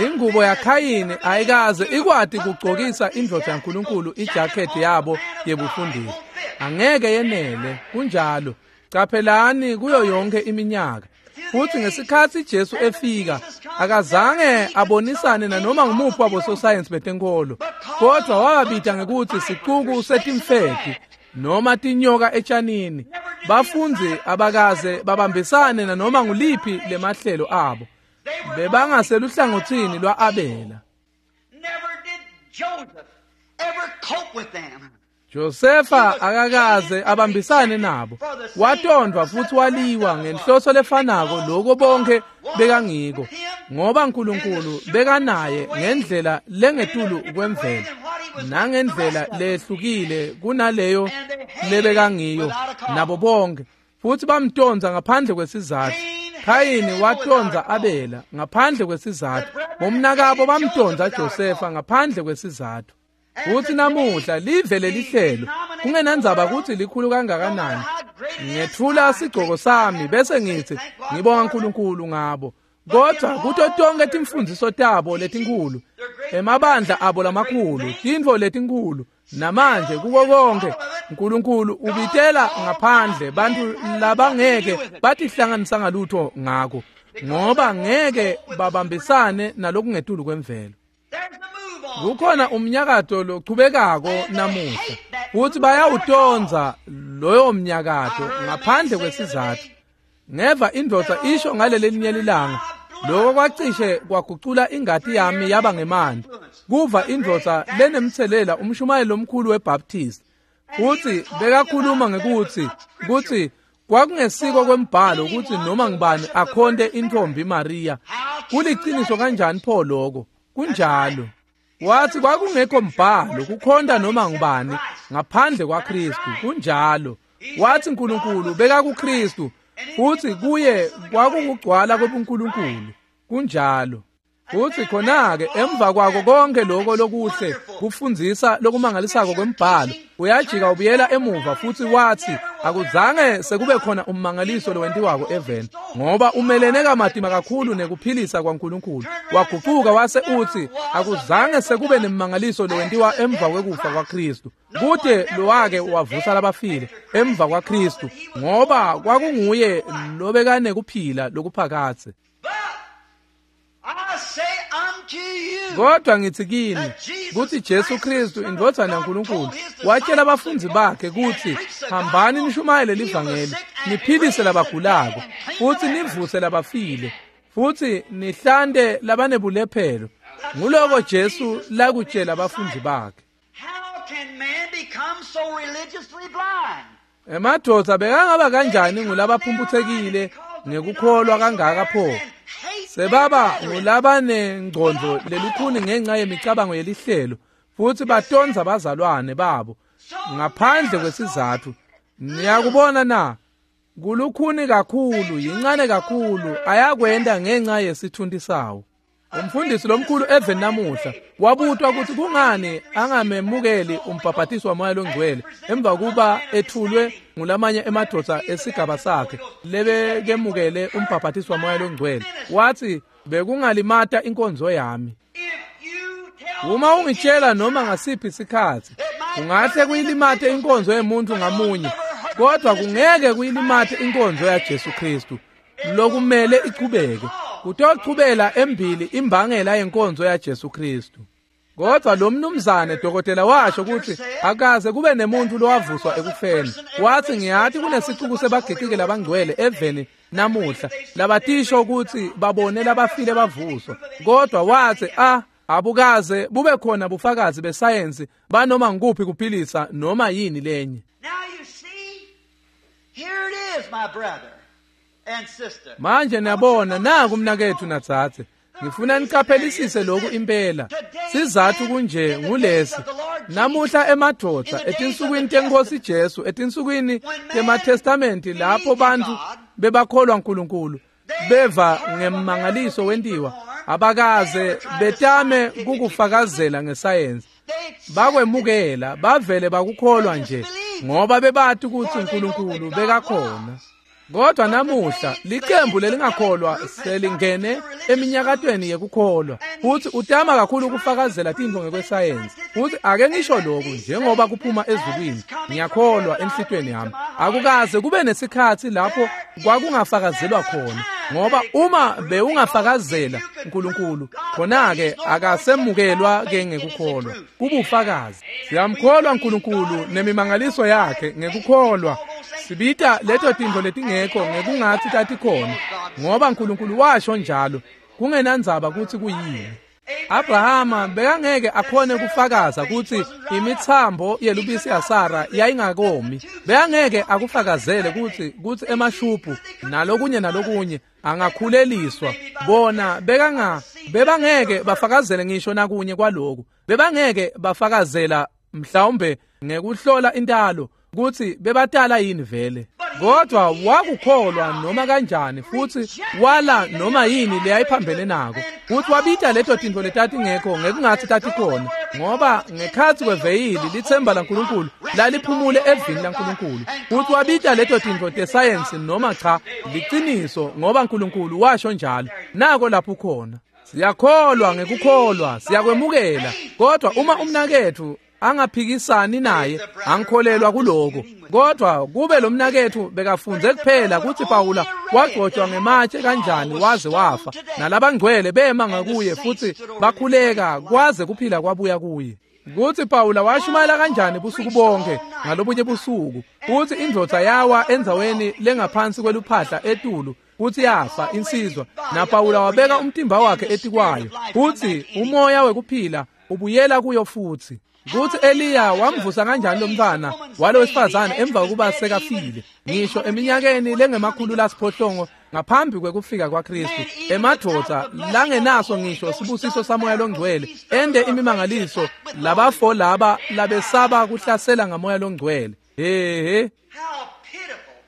Ingubo yaKhayini ayikaze ikwati kugcokisa indvodza yaNkulunkulu ijakhethi yabo yebufundisi. Angeke yenele, kunjalo. Caphelani kuyo yonke iminyaka. Futhi ngesikhatsi Jesu efika, akazange abonisane nanoma ngumuphi wabososayensi betenkholo, kodwa wababita ngekutsi sicuku setimfeti noma tinyoka etshanini. Bafundzi abakaze babambisane nanoma nguliphi lemahlelo abo. Bebangaseluhlangotsini lwa-Abela. Never did Joseph ever cope with them. Josefa akakaze abambisane nabo. Watondwa futhi waliwa ngenhloso lefanako lokho bonke bekangiko, ngoba uNkulunkulu bekanaye ngendlela lengetulu kwemvelo nangendlela lehlukile kunaleyo lebekangiyo nabo bonke, futhi bamtonza ngaphandle kwesizatfu. Khayini watonza Abela ngaphandle kwesizatfu. Bomnakabo bamtonza Josefa ngaphandle kwesizatfu. Futhi namuhla live lelihlelo kungenandzaba kutsi likhulu kangakanani, ngethula sigcoko sami bese ngithi ngibonga uNkulunkulu ngabo, kodwa kuto tonke timfundziso tabo letinkhulu, emabandla abo lamakhulu, tintfo letinkhulu, namanje kuko konke uNkulunkulu ubitela ngaphandle bantfu labangeke batihlanganisa ngalutho ngako, ngoba ngeke babambisane nalokungetulu kwemvelo. There's the move on. Kukhona umnyakato lochubekako namuhla futhi bayawutonza loyo mnyakato ngaphandle kwesizatfu. Ngeva indvodza isho ngaleli linye lilanga, Lokho kwacishe kwagucula ingati yami yaba ngemanti. Kuva indvodza lenemtselela umshumayeli lomkhulu weBaptist. Futhi bekakhuluma ngekuthi kutsi kwakungesiko kwembhalo ukuthi noma ngibani akhonte intombi Maria. Kuliciniso kanjani pho lokho? Kunjalo. Wathi kwakungekho mbhalo kukhonta noma ngubani ngaphandle kwaKristu. Kunjalo. Wathi uNkulunkulu beka kuKristu futhi kuye kwakukugcwala kwebuNkulunkulu. Kunjalo. Futhi khona-ke emva kwako konke lokho lokuhle kufundzisa lokumangalisako kwembhalo, uyajika ubuyela emuva futhi wathi akuzange sekube khona ummangaliso lowentiwako eveni, ngoba umelene kamatima kakhulu nekuphilisa kwaNkulunkulu. Waguquka wase uthi akuzange sekube nemmangaliso lowentiwa emva kwekufa kwaKristu. Kude lowake wavusa labafile emva kwaKristu, ngoba kwakunguye lobekanekuphila lokuphakadze. Kodwa ngithi kini kuthi Jesu Kristu indvodzana yaNkulunkulu watshela abafundzi bakhe kuthi hambani nishumayele livangeli, niphilise labagulako futhi nivuse labafile futhi nihlante labanebulephelo. Nguloko Jesu lakutshela abafundzi bakhe. Emadvodza bekangaba kanjani ngulabaphumputsekile ngekukholwa kangaka pho? Sebaba ngulabanengcondvo lelukhuni ngenxa yemicabango yelihlelo futhi batonza bazalwane babo ngaphandle kwesizathu. Niyakubona na? Kulukhuni kakhulu, yincane kakhulu, ayakwenda ngenxa yesithunti sawo. Umfundisi lomkhulu eveni namuhla wabutwa ukuthi kungani angamemukeli umbhabhatiso waMoya loNgcwele emva kuba ethulwe ngulamanye emadvodza esigaba sakhe lebekemukele umbhabhatiso waMoya loNgcwele. Wathi bekungalimata inkonzo yami. Uma ungitshela noma ngasiphi isikhathi kungahle kuyilimate inkonzo yemuntu ngamunye, kodwa kungeke kuyilimate inkonzo yaJesu Kristu lokumele ichubeke. Kutochubela embili imbangela yenkonzo yaJesu Kristu. Kodwa lo mnumzane dokotela washo ukuthi akaze kube nemuntu lowavuswa ekufeni. Wathi ngiyathi kunesicuku sebagiqiki labangcwele eveni namuhla labatisho ukuthi babone labafile bavuswa, kodwa wathi abukaze bube khona bufakazi besayensi banoma ngikuphi kuphilisa noma yini lenye. Manje niyabona naku mnakethu natsatse, ngifuna niqaphelisise lokhu impela. Sizathu kunje ngulesi: namuhla emadvodza etinsukwini tenkosi Jesu, etinsukwini temaTestamenti lapho bantu bebakholwa uNkulunkulu beva ngemmangaliso wentiwa, abakaze betame kukufakazela ngesayensi. Bakwemukela, bavele bakukholwa nje ngoba bebathi ukuthi uNkulunkulu bekakhona. Kodwa namuhla licembu lelingakholwa selingene eminyakatweni yekukholwa futhi utama kakhulu ukufakazela tintfo ngekwesayensi. Futhi ake ngisho lokhu njengoba kuphuma ezulwini, ngiyakholwa enhlitweni yami akukaze kube nesikhathi lapho kwakungafakazelwa khona, ngoba uma bewungafakazela uNkulunkulu khona-ke akasemukelwa ke ngekukholwa, kubufakazi. Siyamkholwa uNkulunkulu nemimangaliso yakhe ngekukholwa. Sibita leto tintfo letingekho ngekungathi tatikhona, ngoba uNkulunkulu washo njalo, kungenandzaba kutsi kuyini. Abrahama bekangeke akhone kufakaza kutsi imitsambo yelubisi yaSara yayingakomi. Bekangeke akufakazele kutsi emashubhu nalokunye nalokunye angakhuleliswa. Bona bebangeke bafakazele ngisho nakunye kwaloku. Bebangeke bafakazela mhlawumbe ngekuhlola intalo kutsi bebatala yini vele. Kodwa wakukholwa noma kanjani futhi wala noma yini leyayiphambene nako. Futhi wabita leto tintfo letatingekho ngekungathi tatikhona, ngoba ngekhatsi kweveyili litsemba laNkulunkulu laliphumule evini laNkulunkulu. Futhi wabita leto tintfo tesayensi noma cha, liciniso, ngoba uNkulunkulu washo njalo. Nako lapho khona. Siyakholwa ngekukholwa, siyakwemukela. Kodwa uma umnaketfu angaphikisani naye, angikholelwa kuloko. Kodwa kube lo mnaketfu bekafunze kuphela kutsi Pawula wagcotshwa ngematshe kanjani waze wafa, nalabangcwele bema ngakuye futhi bakhuleka kwaze kuphila kwabuya kuye. Kutsi Pawula washumayela kanjani busuku bonke ngalobunye busuku, kutsi indvodza yawa endzaweni lengaphansi kweluphahla etulu Futsi yafa insizwa, naPawula wabeka umtimba wakhe etikwayo, futsi umoya wekuphila ubuyela kuyo futsi. Kutsi Eliya wamvusa kanjani lomntfwana walo wesifazane emva kokuba sekafile, ngisho eminyakeni lengama-800 ngaphambi kwekufika kwaKristu, emadvodza langenaso ngisho sibusiso samoya longcwele ende imimangaliso, labafo laba labesaba kuhlasela ngamoya longcwele. Hehe,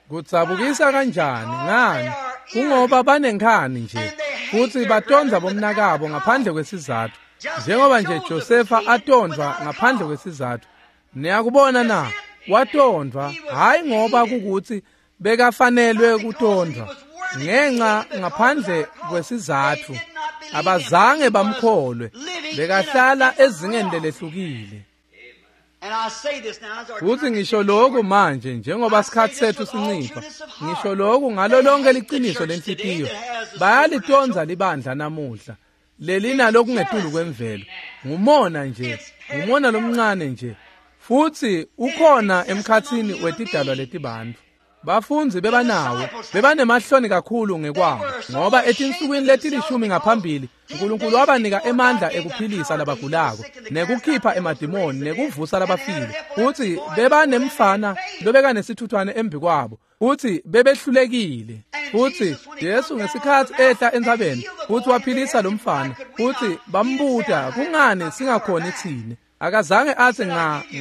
kudzabukisa kanjani! Ngani? Kungoba banenkhani nje, futsi batondza bomnakabo ngaphandle kwesizatfu, njengoba nje Josefa atondvwa ngaphandle kwesizatfu. Niyakubona na? Watondvwa hhayi ngoba kukuthi bekafanelwe kutondvwa, ngenxa ngaphandle kwesizatfu abazange bamkholwe, bekahlala ezingeni lelehlukile. Futhi ngisho lokhu manje, njengoba isikhathi sethu sincipha, ngisho lokhu ngalo lonke liciniso lenhlitiyo, bayalitondza libandla namuhla lelina lokungetulu kwemvelo. Ngumona nje, ngumona lomncane nje, futhi ukhona emkhatsini wetidalwa letibantfu. Bafundzi bebanawo, bebanemahloni kakhulu ngekwabo, ngoba etinsukwini letilishumi ngaphambili Nkulunkulu wabanika emandla ekuphilisa labagulako, nekukhipha emadimoni, nekuvusa labafile. Futsi bebanemfana lobekanesithuthwane embikwabo, futsi bebehlulekile. Futsi Jesu ngesikhatsi ehla entsabeni futsi waphilisa lomfana, futsi bambuta, kungani singakhoni tsine? Akazange atsi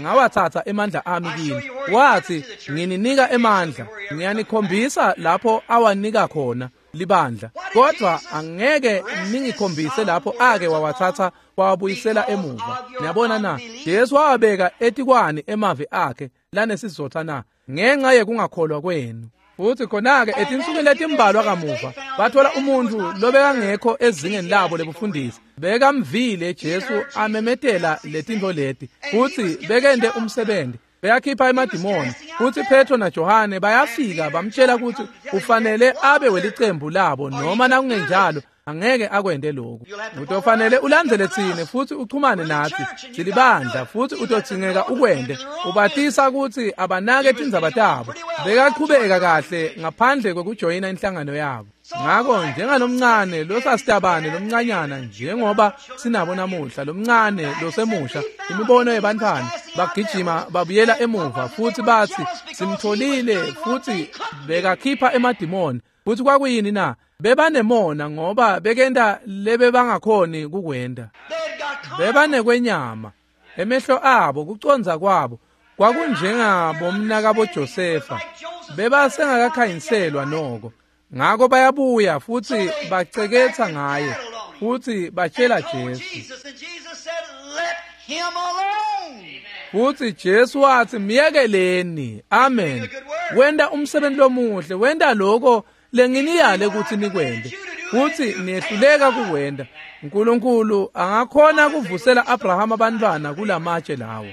ngawatsatsa emandla ami kini. Wathi, ngininika emandla, ngiyanikhombisa lapho awanika khona libandla, kodwa angeke ningikhombise lapho ake wawatsatsa wawabuyisela emuva. Niyabona na? Jesu wawabeka etikwani emavi akhe lanesizotha na? Ngenxa yekungakholwa kwenu. Futhi khona-ke etinsukwini letimbalwa kamuva bathola umuntfu lobekangekho ezingeni labo lebufundisi, bekamvile Jesu amemetela letintfo leti, futsi bekente umsebenzi, beyakhipha emadimoni. Futsi Petro naJohane bayafika bamtshela ukuthi ufanele abe welicembu labo, noma nakungenjalo angeke akwente lokhu. Utofanele ulandzele tsine futhi uchumane natsi, silibandla, futhi utodzingeka ukwente. Ubatisa ukuthi abanake tindzaba tabo. Bekaqhubeka kahle ngaphandle kwekujoyina inhlangano yabo. Ngako njengalomncane losasitabane lomncanyana, njengoba sinabo namuhla, lomncane losemusha, imibono yebantfwana bagijima babuyela emuva futhi bathi simtholile, futhi bekakhipha emadimoni. Futhi kwakuyini na? Bebanemona ngoba bekenta lebebangakhoni kukwenta. Bebanekwenyama emehlo abo, kucondza kwabo kwakunjengabomnakabo Josefa, bebasengakakhanyiselwa noko. Ngako bayabuya futhi baceketha ngaye futhi batshela Jesu. Futhi Jesu wathi, miyekeleni. Amen. Wenta umsebenzi lomuhle, wenta lokho lenginiyale ukuthi nikwente, futhi niyehluleka kukwenta. Nkulunkulu angakhona kuvusela Abrahama abantwana kulamatshe lawo.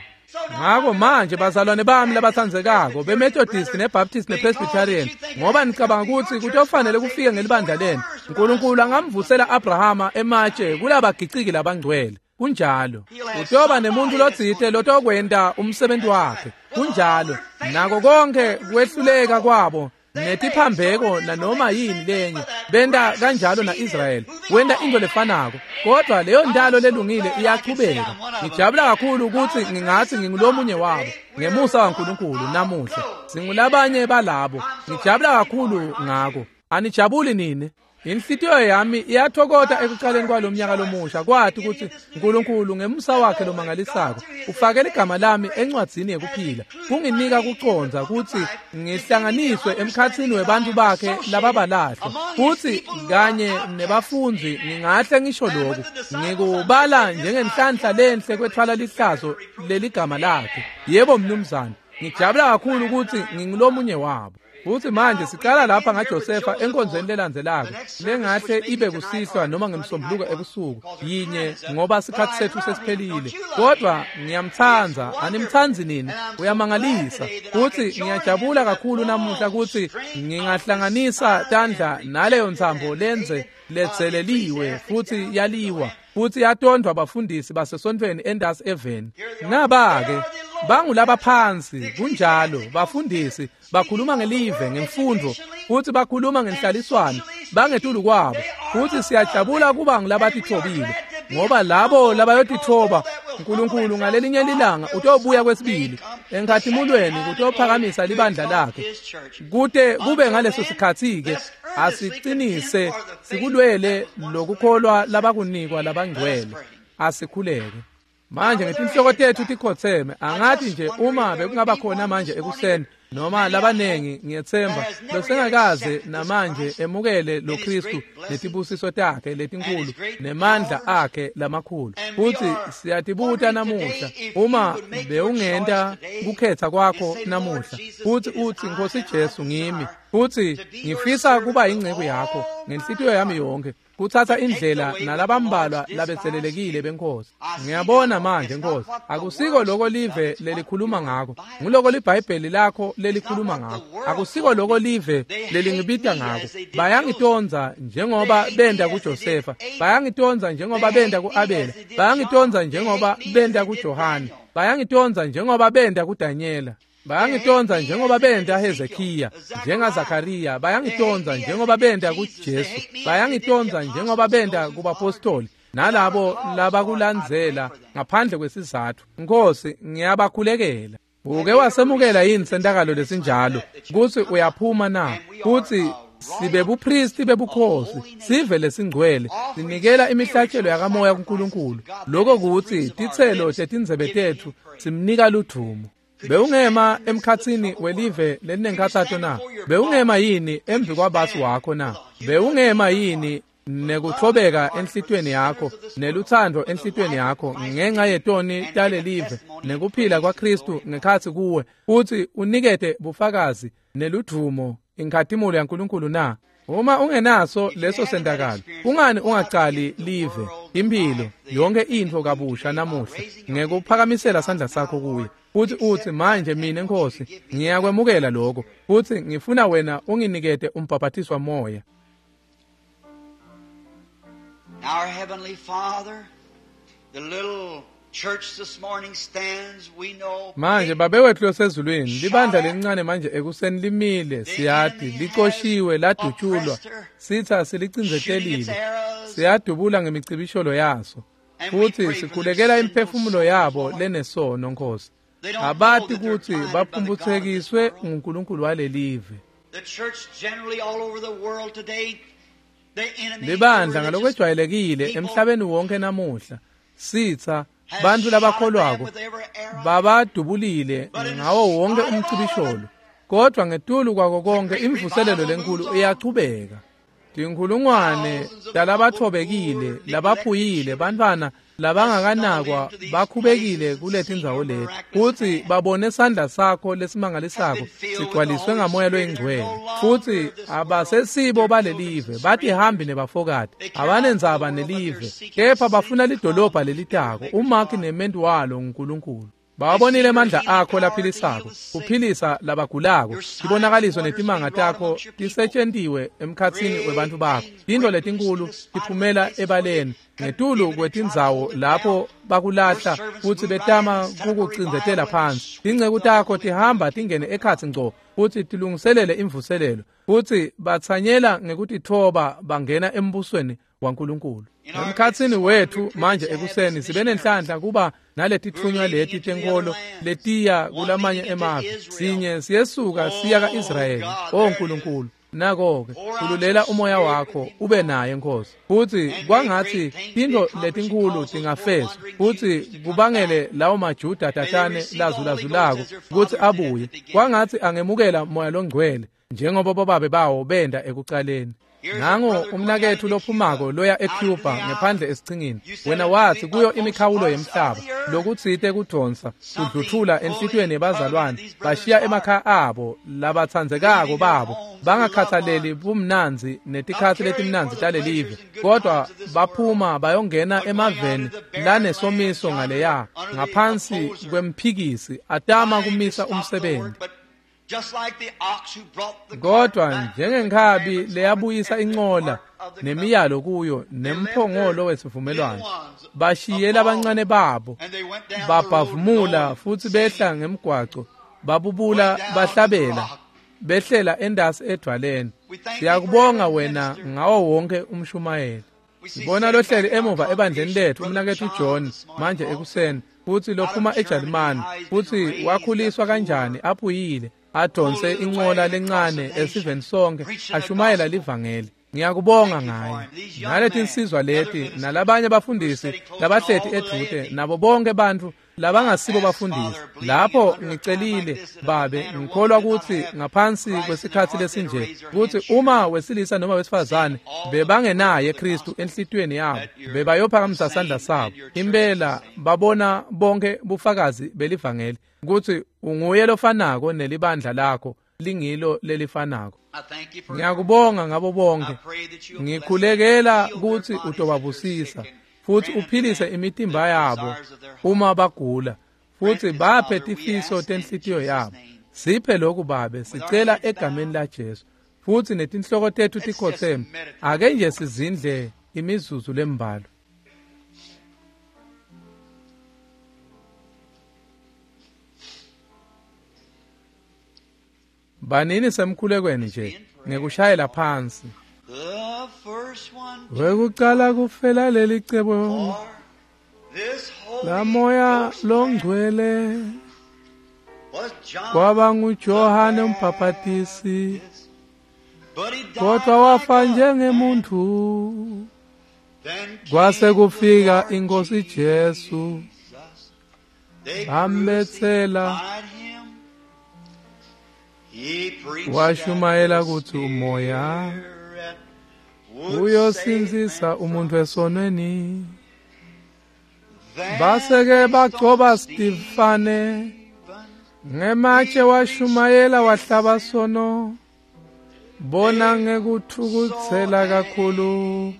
Ngako manje bazalwane bami labatsandzekako beMethodist neBaptist nePresbyterian, ngoba nicabanga ukuthi kutofanele kufike ngelibandla lenu, Nkulunkulu angamvusela Abrahama ematshe kulabagiciki labangcwele. Kunjalo. Utoba nemuntu lotsite lotokwenta umsebenzi wakhe. Kunjalo. Nako konke kwehluleka kwabo netiphambeko nanoma yini lenye, benta kanjalo na-Israyeli, wenta into lefanako, kodwa leyo ndalo lelungile iyachubeka. Ngijabula kakhulu ukuthi ngingathi ngingulomunye wabo ngemusa waNkulunkulu namuhla. Singulabanye balabo. Ngijabula kakhulu ngako. Anijabuli nini? Inhlitiyo yami iyathokota ekuqaleni kwalomnyaka lomusha kwathi ukuthi Nkulunkulu ngemusa wakhe lomangalisako ufake ligama lami encwadzini yekuphila, kunginika kucondza ukuthi ngihlanganiswe emkhatsini webantfu bakhe lababalahlwa, futsi kanye nebafundzi. Ngingahle ngisho lokhu, ngikubala njengenhlanhla lenhle kwethwala lihlazo leligama lakhe. Yebo mnumzane, ngijabula kakhulu ukuthi ngingulomunye wabo. Futhi manje siqala lapha ngaJosefa enkonzweni lelandzelako lengahle ibe kusihlwa noma ngemsombuluko ebusuku yinye, ngoba sikhathi sethu sesiphelile. Kodwa ngiyamtsandza, animtsandzi nini? Uyamangalisa. Futhi ngiyajabula kakhulu namuhla ukuthi ngingahlanganisa tandla naleyo ntsambo lenze letseleliwe futhi yaliwa. Futhi yatondwa bafundisi basesontweni endasi eveni. Naba-ke bangulabaphansi kunjalo bafundisi bakhuluma ngelive ngemfundo futhi bakhuluma ngenhlaliswano bangetulu kwabo futhi siyajabula kuba ngulabatithobile ngoba labo labayotithoba uNkulunkulu ngalelinye lilanga utobuya kwesibili enkhathimulweni kutophakamisa libandla lakhe kute kube ngaleso sikhathi-ke asiqinise sikulwele lokukholwa labakunikwa labangcwele asikhuleke. Manje ngetinhloko tethu tikhotseme angathi nje uma bekungaba khona manje ekuseni noma labanengi ngiyethemba losengakaze namanje emukele lo Kristu netibusiso takhe letinkulu nemandla akhe lamakhulu. Futhi siyatibuta namuhla uma bewungenta kukhetha kwakho namuhla futhi uthi Nkosi Jesu ngimi futhi ngifisa kuba ingceku yakho ngenhlitiyo yami yonke kuthatha indlela nalabambalwa labetselelekile benkosi. Ngiyabona manje Nkosi akusiko lokho live lelikhuluma ngako nguloko liBhayibheli lakho lelikhuluma ngako akusiko lokho live lelingibita ngako. Bayangitonza njengoba benda kuJosefa, bayangitonza njengoba benda kuAbela, bayangitonza njengoba benda kuJohane, bayangitonza njengoba benda kuDanyela, bayangitonza njengoba benda Hezekiya, njengaZakaria, bayangitonza njengoba benda kuJesu, bayangitonza njengoba benda kubapostoli nalabo labakulandzela ngaphandle kwesizathu. Nkosi ngiyabakhulekela. Uke wasemukela yini sentakalo lesinjalo kuthi uyaphuma na kuthi sibe bupristi bebukhosi sive lesingcwele sinikela imihlatshelo yakamoya kuNkulunkulu lokho kuthi titselo tetindzebe tethu simnika ludvumo. Bewungema emkhatsini welive lelinenkhatsato na? Bewungema yini emvi kwabasi wakho na? Bewungema yini nekuthobeka enhlitweni yakho neluthando enhlitweni yakho ngenxa yetoni talelive nekuphila kwaKristu ngekhatsi kuwe futhi unikete bufakazi neludvumo inkhatimulo yaNkulunkulu na? Uma ungenaso leso sentakalo kungani ungacali live impilo yonke intfo kabusha namuhla ngekuphakamisela sandla sakho kuye futhi uthi manje mina Nkosi ngiyakwemukela lokho futhi ngifuna wena unginikete umbhaphatiswa moya. Our heavenly Father, the little church this morning stands, we know. Manje babe wethu losezulwini libandla lencane manje ekuseni limile siyati licoshiwe ladutshulwa sitha silicindzetelile siyadubula ngemicibisholo yaso futhi sikhulekela imphefumulo yabo lenesono Nkosi. Abati ukuthi baphumbuthekiswe nguNkulunkulu walelive. The church generally all over the world today, libandla ngalokwejwayelekile emhlabeni wonke namuhla sitha bantu labakholwako babadubulile ngawo wonke umcibisholo kodwa ngetulu kwako konke imvuselelo lenkulu iyachubeka. Tinkhulungwane talabathobekile labaphuyile bantwana labangakanakwa bakhubekile kuletindzawo leti futhi babone sandla sakho lesimangalisako sigcwaliswe ngamoya loyingcwele futhi abasesibo balelive batihambi nebafokati abanendzaba nelive kepha bafuna lidolobha lelitako umakhi nementi walo nguNkulunkulu. Bawabonile amandla akho laphilisako kuphilisa labagulako tibonakaliso netimanga takho tisetshentiwe emkhatsini webantu bakho tintfo letinkulu tiphumela ebaleni ngetulu kwetindzawo lapho bakulahla futhi betama kukucindzetela phansi. Tinceku takho tihamba tingene ekhatsi ngco futhi tilungiselele imvuselelo futhi batsanyela ngekutithoba bangena embusweni waNkulunkulu. Emkhatsini wethu manje ekuseni sibe nenhlanhla kuba naletitfunywa leti tenkolo letiya kulamanye emave sinye siyesuka siya ka-Israyeli. O Nkulunkulu nako-ke khululela umoya wakho ube naye Nkosi futhi kwangathi tintfo letinkhulu tingafezwa futhi kubangele lawo maJuda tatane lazulazulako kutsi abuye kwangathi angemukela moya longcwele njengoba bobabe bawo benda ekucaleni. Nango umnakethu lophumako loya eCuba ngephandle esichingini wena wathi kuyo imikhawulo yemhlaba lokutsite kudonsa kudluthula enhlitiyweni yebazalwane bashiya emakhaya abo labatsandzekako babo bangakhathaleli bumnandzi netikhatsi letimnandzi talelive kodwa baphuma bayongena emaveni lanesomiso ngaleya ngaphansi kwemphikisi atama kumisa umsebenzi. Kodwa njengenkhabi leyabuyisa incola Nemiyalo kuyo nemphongolo wesivumelwano. Bashiye labancane babo babhavumula futsi behla ngemgwaco, babubula bahlabela, behlela endasi edvwaleni. Siyakubonga wena ngawo wonke umshumayeli. Sibona lohleli emuva ebandleni lethu umnaketfu John manje ekuseni, futsi lophuma eJalimani, futsi wakhuliswa kanjani aphuyile, adonse incola lencane esiveni sonke, ashumayela livangeli. Ngiyakubonga ngaye. Naletinsizwa leti nalabanye bafundisi labahleti edvute nabo bonke bantfu labangasibo bafundisi. Lapho ngicelile babe, ngikholwa kutsi ngaphansi kwesikhatsi lesinje kutsi uma wesilisa noma wesifazane bebangenaye Kristu enhlitiyweni yabo, bebayophakamisa sandla sabo. Impela babona bonke bufakazi belivangeli kutsi unguye lofanako nelibandla lakho lingilo lelifanako. Ngiyakubonga ngabo bonke. Ngikhulekela kutsi utobabusisa futsi uphilise imitimba yabo uma bagula, futsi baphe tifiso tenhlitiyo yabo. Siphe lokhu babe, sicela egameni la Jesu. Futsi netinhloko tetfu tikhotseme, ake nje sizindle imizuzu lembalwa. Banini semkhulekweni nje ngekushayela phansi. Wekucala kufela leli cebo la Moya Longcwele kwaba nguJohane umbhaphatisi, kodwa wafa njengemuntu. Kwase kufika inkosi Jesu, bambetsela, washumayela kutsi umoya uyosindzisa umuntu esonweni. Baseke bagcoba Stefane ngematshe, washumayela wahlaba sono, bona ngekuthukutsela kakhulu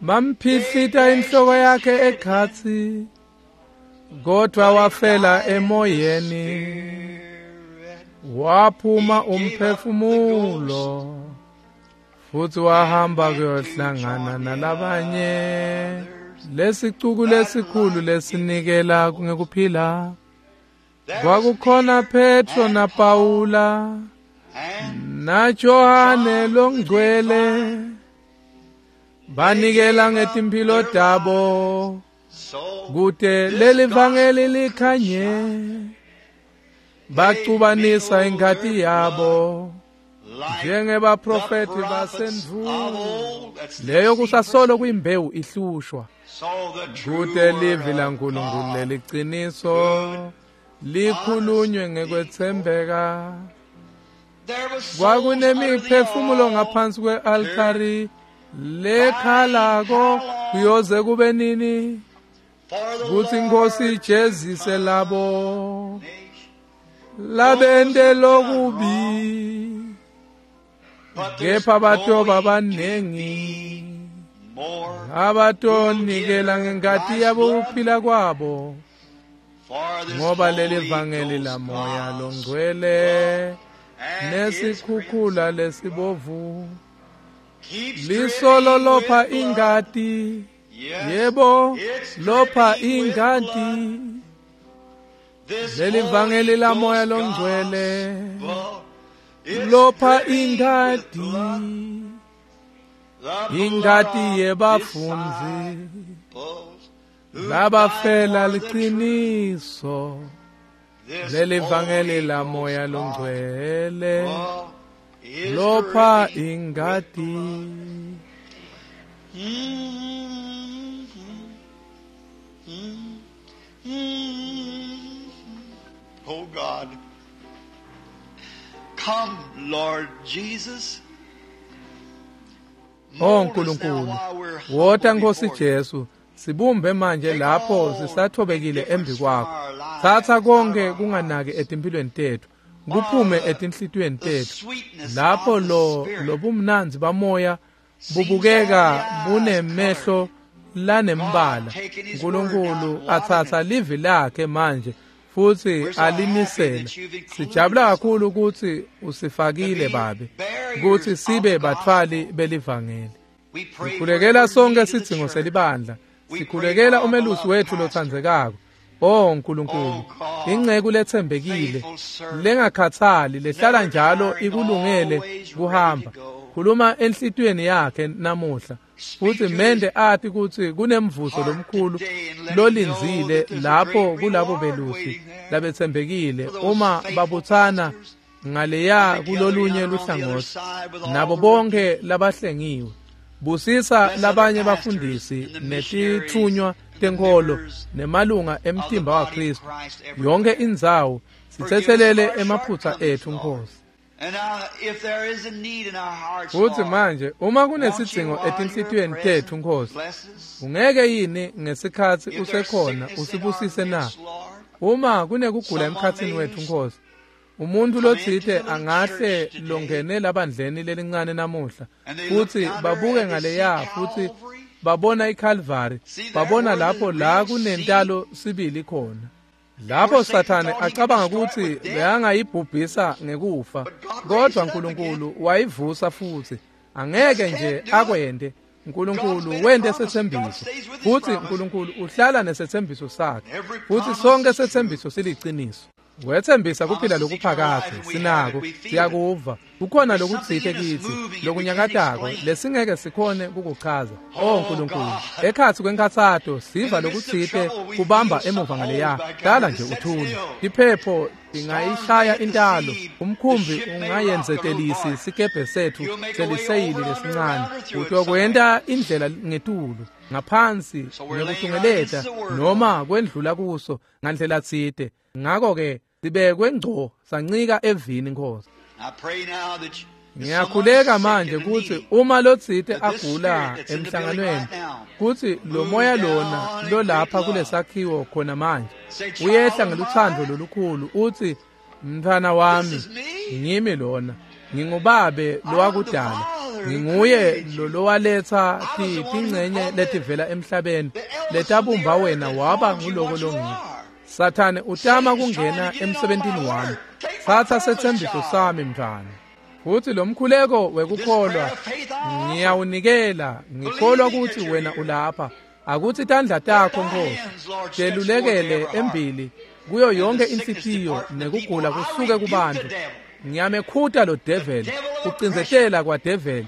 bamphihlita inhloko yakhe ekhatsi, kodwa wafela emoyeni, waphuma umphefumulo futsi wahamba kuyohlangana nalabanye. Lesicuku lesikhulu lesinikela ngekuphila. Kwakukhona Petro na Paula na Johane longcwele, banikela ngetimphilo tabo kute leli vangeli likhanye, bacubanisa ingati yabo njengebaprofeti basendvulo. Leyo kusasolo kuyimbewu ihlushwa kute livi laNkulunkulu leliciniso likhulunywe ngekwetsembeka. Kwakunemiphefumulo ngaphansi kwe-altari lekhalako kuyoze kube nini kutsi inkosi ijezise labo labente lokubi, kepha batoba banengi abatonikela ngengati yabo kuphila kwabo, ngoba leli vangeli la Moya Longcwele nesikhukhula lesibovu lisolo lopha ingati, yebo lopha ingati. Leli vangeli la Moya Longcwele lopha ingati, ingati yebafundzi labafela liciniso. Leli vangeli la Moya Longcwele lopha ingati. Oh God, come Lord Jesus. Oh Nkulunkulu, wota Nkosi Jesu, sibumbe manje lapho sisathobekile embi kwakho. Thatha konke kunganaki etimphilweni tetfu, kuphume etinhlitiyweni tetfu, lapho lo lobumnandzi bamoya bubukeka bunemehlo lanembala. Nkulunkulu atsatsa livi lakhe manje futsi alinisela. Sijabula kakhulu ukuthi usifakile babe, ukuthi sibe batfwali belivangeli. Sikhulekela sonke sidzingo selibandla. Sikhulekela umelusi wethu lotsandzekako. Oh Nkulunkulu, inceku letsembekile, lengakhatsali, lehlala njalo ikulungele kuhamba. Khuluma enhlitiyweni yakhe namuhla, futhi mende ati kutsi kunemvuzo lomkhulu lolindzile lapho kulabo belusi labetsembekile uma babutsana ngaleya kulolunye luhlangotsi nabo bonke labahlengiwe. Busisa labanye bafundisi netitfunywa tenkholo nemalunga emtimba waKristu yonke indzawo. Sitsetselele emaphutsa ethu Nkosi. Futhi manje uma kunesidzingo etinhlitiyweni tethu Nkosi, ungeke yini ngesikhatsi usekhona usibusise na? Uma kunekugula emkhatsini wethu Nkosi, umuntu lotsite angahle longene labandleni lelincane namuhla, futhi babuke ngaleya futhi babona iCalvary, babona lapho la kunentalo sibili khona. Lapho Sathane acabanga ukuthi bekangayibhubhisa ngekufa, kodwa Nkulunkulu wayivusa futhi. Angeke nje akwente. Nkulunkulu wente setsembiso, futhi Nkulunkulu uhlala nesetsembiso sakhe, futhi sonke setsembiso siliciniso. Wethembisa kuphila lokuphakadze, sinako, siyakuva. Kukhona lokutsite kitsi lokunyakatako lesingeke sikhone kukuchaza. Oh Nkulunkulu, ekhatsi kwenkhatsato siva lokutsite kubamba emuva ngaleya. Hlala nje uthule. Iphepho ingayishaya intalo, umkhumbi ungayenzetelisi sikebhe sethu seliseyili lesincane. Utokwenta indlela ngetulu, ngaphansi, ngekutungeleta noma kwendlula kuso ngandlela tsite. Ngakho-ke sibekwe ngco sancika evini Nkosi. Ngiyakhuleka manje kutsi uma lotsite agula emhlanganweni, kutsi lo moya lona lolapha kulesakhiwo khona manje uyehla ngelutsandvo lolukhulu utsi, mntfwana wami, ngimi lona, ngingubabe lowakudala, nginguye lowaletsa tingcenye letivela emhlabeni letabumba wena waba nguloko longiko. Sathane utama kungena emsebentini wami. Tsatsa setsembiso sami mntfwana. Futhi lo mkhuleko wekukholwa ngiyawunikela, ngikholwa ukuthi wena ulapha. Akuthi tandla takho Nkosi telulekele embili kuyo yonke inhlitiyo nekugula kusuke kubantu. Ngiyamekhuta lo devil, kucindzetela kwa devil,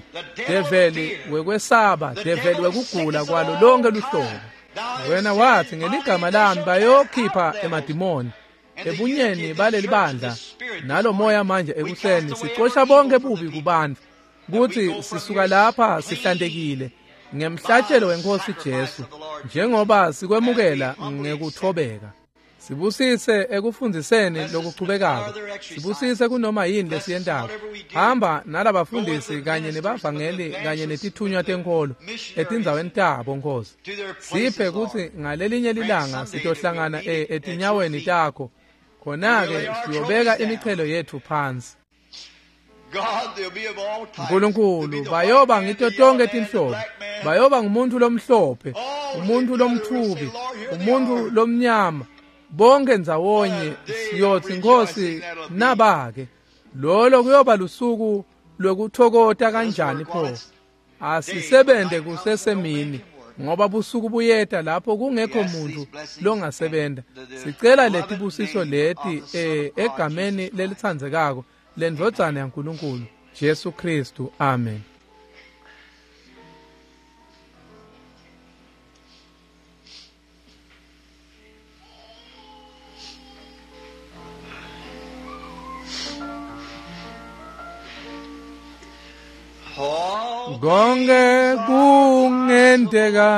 devil wekwesaba, devil wekugula kwalo lonke luhlobo. Wena wathi ngeligama lami bayokhipha emadimoni ebunyeni baleli bandla nalo moya manje ekuseni sicosha bonke bubi kubantu, kuthi sisuka lapha sihlantekile ngemhlatshelo wenkosi Jesu, njengoba sikwemukela ngekuthobeka. Sibusise ekufundziseni lokuchubekako, sibusise kunoma yini lesiyentako. Hamba nalabafundisi kanye nebavangeli kanye netithunywa tenkholo etindzaweni tabo Nkosi. Siphe kutsi ngalelinye lilanga sitohlangana etinyaweni takho, khona-ke siyobeka imichelo yethu phansi. Nkulunkulu, bayoba ngito tonke tinhlobo, bayoba ngumuntu lomhlophe, umuntu lomthubi, umuntu lomnyama, bonke ndzawonye siyothi Nkosi nabake. Lolo kuyoba lusuku lwekuthokota kanjani pho. Asisebente kusesemini, ngoba busuku buyeta lapho kungekho muntu longasebenta. Sicela letibusiso leti egameni lelitsandzekako lendvodzana yaNkulunkulu Jesu Kristu, amen. Konke kungenteka,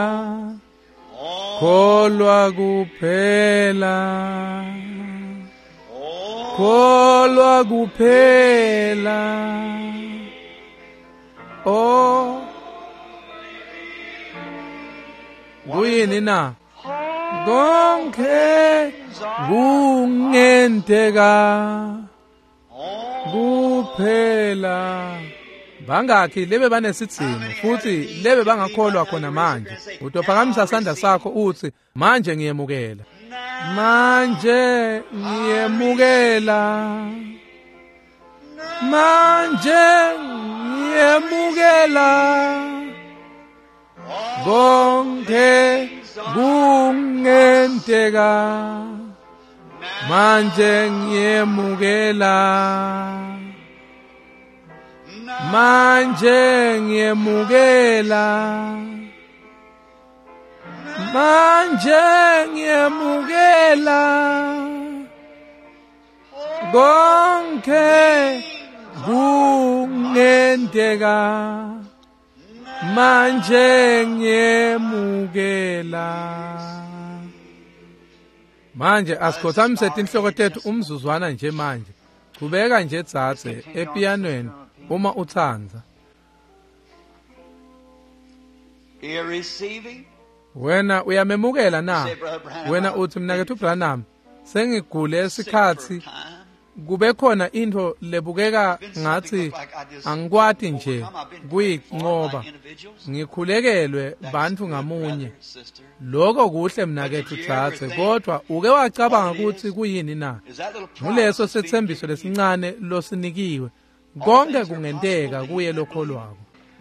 kholwa kuphela, kholwa kuphela. Oh, kuyini na? Konke kungenteka kuphela. Bangakhi lebe banesidzingo futhi lebe bangakholwa khona manje? Utophakamisa sandla sakho uthi, manje ngiyemukela, manje ngiyemukela, manje ngiyemukela. Konke kungenteka manje ngiyemukela, manje ngiyemukela, manje ngiyemukela. Konke kungenteka manje ngiyemukela. Manje asikhothamise tinhloko tethu umzuzwana nje manje. Chubeka nje dzadze epianweni uma utsandza. Wena uyamemukela na? Wena uthi mnaketfu Branham, sengigule sikhatsi kube khona intfo lebukeka ngathi angikwati nje kuyinqoba, ngikhulekelwe bantfu ngamunye. Lokho kuhle mnaketfu dzadze, kodwa uke wacabanga kutsi kuyini na? Nguleso setsembiso lesincane losinikiwe. Konke kungenteka kuye lokholwako.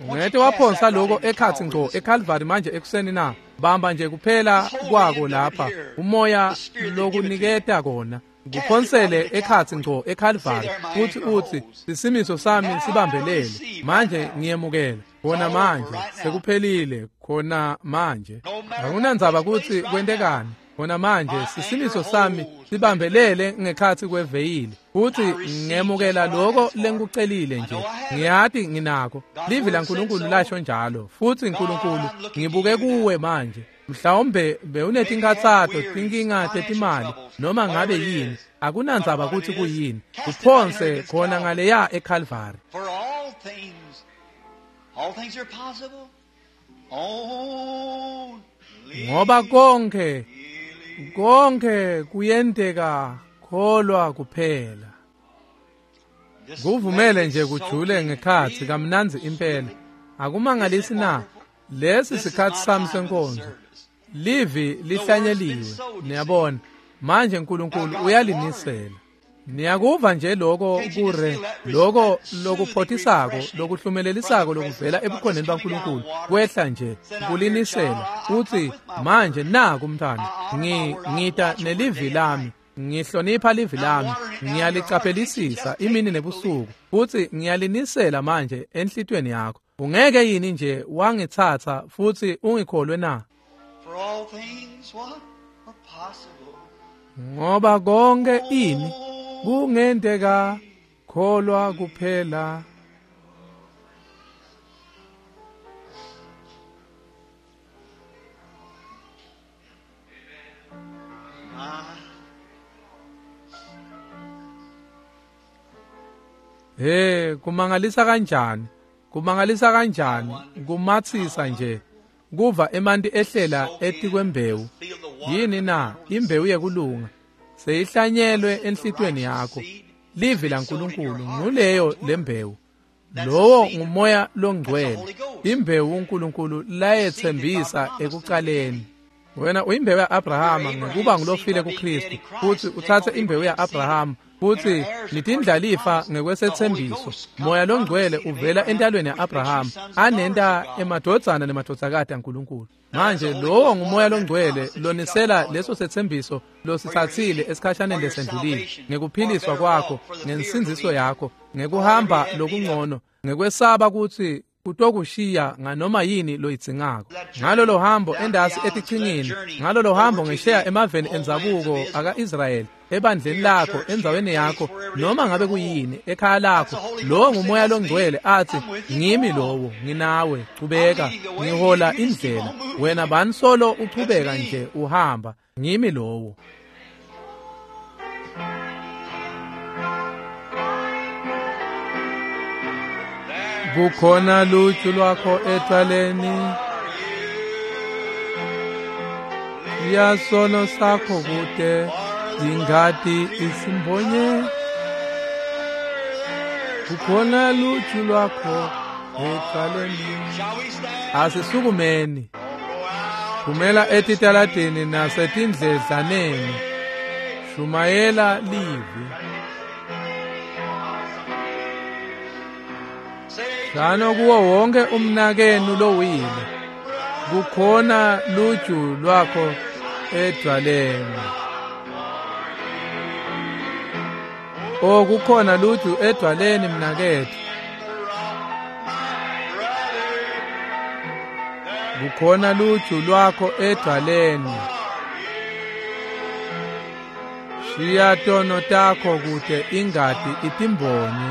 Ungete waphonsa lokho ekhatsi ngco eCalvary manje ekuseni na? Bamba nje kuphela kwako lapha, umoya lokuniketa kona. Kuphonsele ekhatsi ngco eCalvary futhi uthi isimiso sami sibambelele manje ngiyemukela khona manje, sekuphelile khona manje. Akunandzaba kutsi kwentekani khona manje, sisimiso sami sibambelele ngekhatsi kweveyili futhi ngemukela lokho lengikucelile nje. Ngiyati nginako, livi laNkulunkulu lasho njalo, futhi Nkulunkulu ngibuke kuwe manje. Mhlawumbe bewunetinkhatsato, tinkinga tetimali, noma ngabe yini, akunandzaba kutsi kuyini, uphonse khona ngaleya eCalvary. Ngoba konke konke kuyenteka, kholwa kuphela. Kuvumele nje kujule ngekhatsi kamnandzi impela. Akumangalisi na? Lesi sikhatsi sami senkonzo. Livi lihlanyeliwe, niyabona. Manje uNkulunkulu uyalinisela. Niyakuva nje lokho kure, lokho lokuphotisako, lokuhlumelelisako lokuvela ebukhoneni baNkulunkulu kwehla nje kulinisela. Uthi manje naku mntwana, ngita nelivi lami, ngihlonipha livi lami, ngiyalicaphelisisa imini nebusuku, futhi ngiyalinisela manje enhlitweni yakho. Ungeke yini nje wangitsatsa futhi ungikholwe na? Ngoba konke ini kungenteka, kholwa kuphela. Hey, kumangalisa kanjani? Kumangalisa kanjani? Kumatsisa nje kuva emanti ehlela etikwembewu. Yini na? Imbewu yekulunga seyihlanyelwe enhlitweni yakho. Livi laNkulunkulu nguleyo lembewu. Lowo ngumoya longcwele, imbewu uNkulunkulu layetsembisa ekucaleni. Wena uyimbewu ya-Abrahama ngekuba ngulofile kuKristu, futhi utsatse imbewu ya-Abrahama futhi nitindlalifa ngekwesethembiso. Moya longcwele uvela entalweni ya-Abrahama anenta emadvodzana nemadvodzakati aNkulunkulu. Manje lowo ngumoya longcwele lonisela leso sethembiso lositsatsile esikhashaneni lesendlulile, ngekuphiliswa kwakho, ngensindziso yakho, ngekuhamba lokungcono, ngekwesaba kutsi kutokushiya nganoma yini loyidzingako. Ngalolo hambo endasi etichingini, ngalolo hambo ngesheya emaveni endzabuko aka-Israyeli, ebandleni lakho, endzaweni yakho, noma ngabe kuyini, ekhaya lakho, lowo ngumoya longcwele athi ngimi lowo, nginawe, chubeka, ngihola indlela. Wena bani solo uchubeka nje uhamba, ngimi lowo. Kukhona luju lwakho ecaleni, yasono sakho kude, ingati isimbonye. Kukhona luju lwakho ecaleni. Asisukumeni. Phumela etitaladini nasetindledlaneni, shumayela livi. Shano kuwo wonke umnakenu lowile, Kukhona luju lwakho edwaleni. Oh, kukhona luju edwaleni mnaketfu. Kukhona luju lwakho edwaleni. Shiya tono takho kute ingati itimbonye.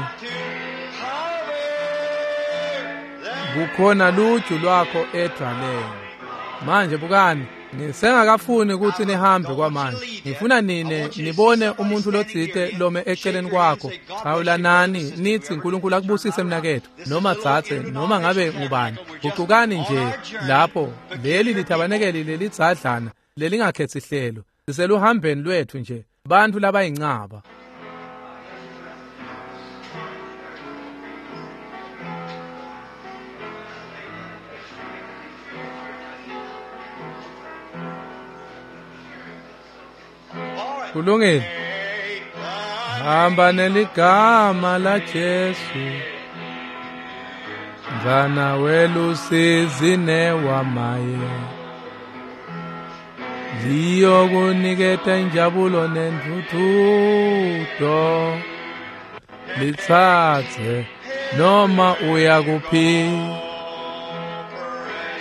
Kukhona luju lwakho edwaleni. Manje bukani, ngisengakafuni ukuthi nihambe kwamanje. Ngifuna nine nibone umuntu lotsite lome eceleni kwakho. Chawulanani nithi uNkulunkulu akubusise mnaketfu, noma tsatse, noma ngabe ngubani. Gucukani nje lapho. Leli lithabanekeli lelidzadlana lelingakhethi hlelo. Siseluhambeni lwethu nje, bantfu labayincaba. Kulungile. Hamba neligama la Jesu, mfana welusizi newamaye, liyokuniketa injabulo nentuthuko, litsatse noma uyakuphi.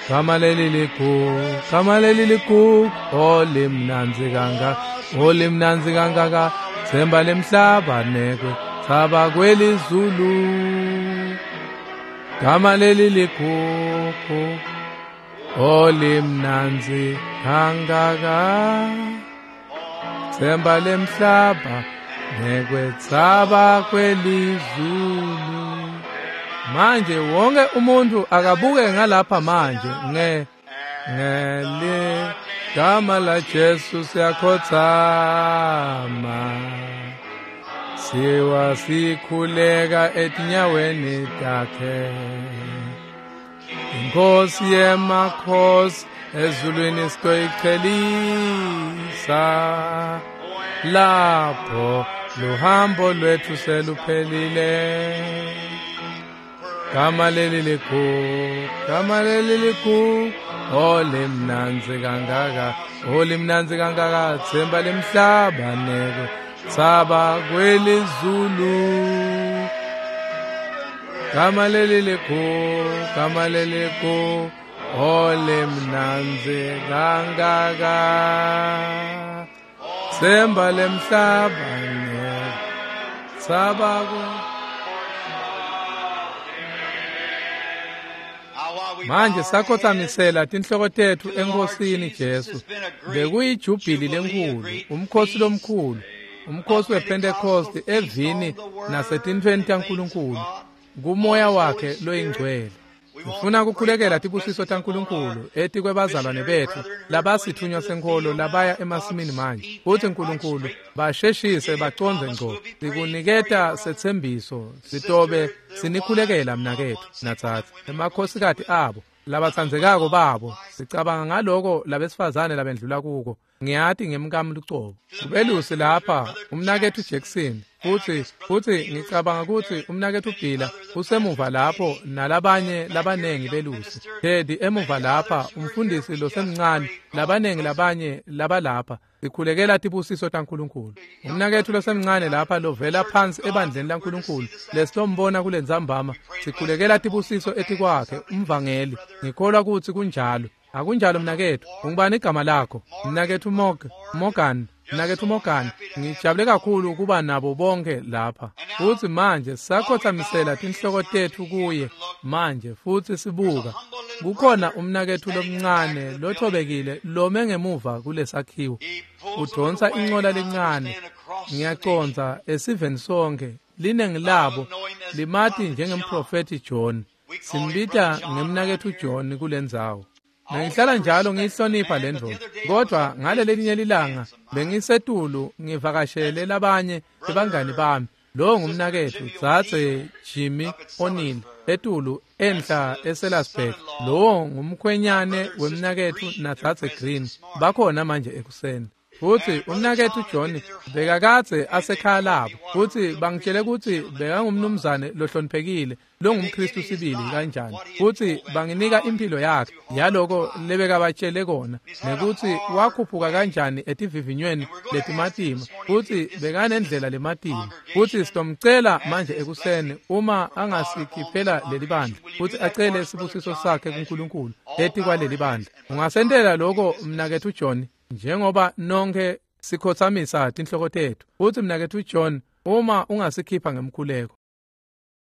Gama leli likhulu, gama leli likhulu, olimnandzi kangaka, olimnandzi kangaka, themba lemhlaba nekwe thaba kwelizulu. Gama leli likhulu, olimnandzi kangaka, themba lemhlaba nekwetsaba kwelizulu. Manje wonke umuntu akabuke ngalapha manje ngeligama la Jesu siyakhothama, siwa sikhuleka etinyaweni takhe. Inkosi yemakhosi ezulwini sitoyichelisa, lapho luhambo lwethu seluphelile. Gama leli likhulu, gama leli likhulu, olimnandzi kangaka, olimnandzi kangaka, themba lemhlaba nekwe tsaba kwelizulu. Gama leli likhulu, gama leli likhulu, olimnandzi kangaka, themba lemhlaba nekwe tsaba kwe. Manje sakhothamisela tinhloko tetfu eNkosini Jesu. Bekuyijubhili lenkulu, umkhosi lomkhulu, umkhosi wePentecost evini nasetintfweni taNkulunkulu, kumoya wakhe loyingcwele. Ngifuna ukukhulekela tibusiso taNkulunkulu etikwebazalwane betfu labasithunywa senkholo labaya emasimini manje. Futsi Nkulunkulu basheshise bacondze ngco. Sikuniketa setsembiso, sitobe sinikhulekela mnaketfu natsatsa emakhosikati abo labatsandzekako babo. Sicabanga ngaloko labesifazane labendlula kuko. Ngiyati ngemkami lucobo. Kubelusi lapha umnaketfu Jackson, futsi ngicabanga kutsi umnaketfu Bhila usemuva lapho nalabanye labanengi belusi. Teddy emuva lapha, umfundisi losemncane, labanengi labanye labalapha. Sikhulekela tibusiso taNkulunkulu. Umnaketfu losemncane lapha lovela phansi ebandleni laNkulunkulu lesilombona kulentsambama, sikhulekela tibusiso etikwakhe, umvangeli. Ngikholwa kutsi kunjalo. Akunjalo mnaketfu? Ungubani igama lakho? Mnaketfu Morgan. Mnaketfu Morgan, ngijabule kakhulu kuba nabo bonke lapha. Futsi manje sakhothamisela tinhloko tetfu kuye manje futsi sibuka. Kukhona umnaketfu lomncane lothobekile lome ngemuva kulesakhiwo. Udonsa incola lencane. Ngiyacondza esiveni sonke linengi labo limati njengemprofethi John. Simbita ngemnaketfu John kulendzawo. Ngihlala njalo ngiyihlonipha le ndvodza, kodwa ngalelelinye lilanga bengisetulu ngivakashele labanye bebangani bami. Lo ngumnaketfu dzadze Jimmy O'Neill etulu enhla eSellersburg. Lowo ngumkhwenyane wemnaketfu nadzadze Green. Bakhona manje ekuseni. Futsi umnaketfu John bekakadze asekhaya labo, futsi bangitjele kutsi bekangumnumzane lohloniphekile longumKhristu sibili kanjani, futsi banginika imphilo yakhe yaloko lebekabatjele kona, nekutsi wakhuphuka kanjani etivivinyweni letimatima, futsi bekanendlela lematima. Futsi sitomcela manje ekuseni uma angasikhiphela leli bandla, futsi acele sibusiso sakhe kuNkulunkulu etikwaleli bandla. Ungasentela lokho, mnaketfu John, njengoba nonke sikhotsamisa tinhloko tetfu. Futsi mnaketfu John, uma ungasikhipha ngemkhuleko.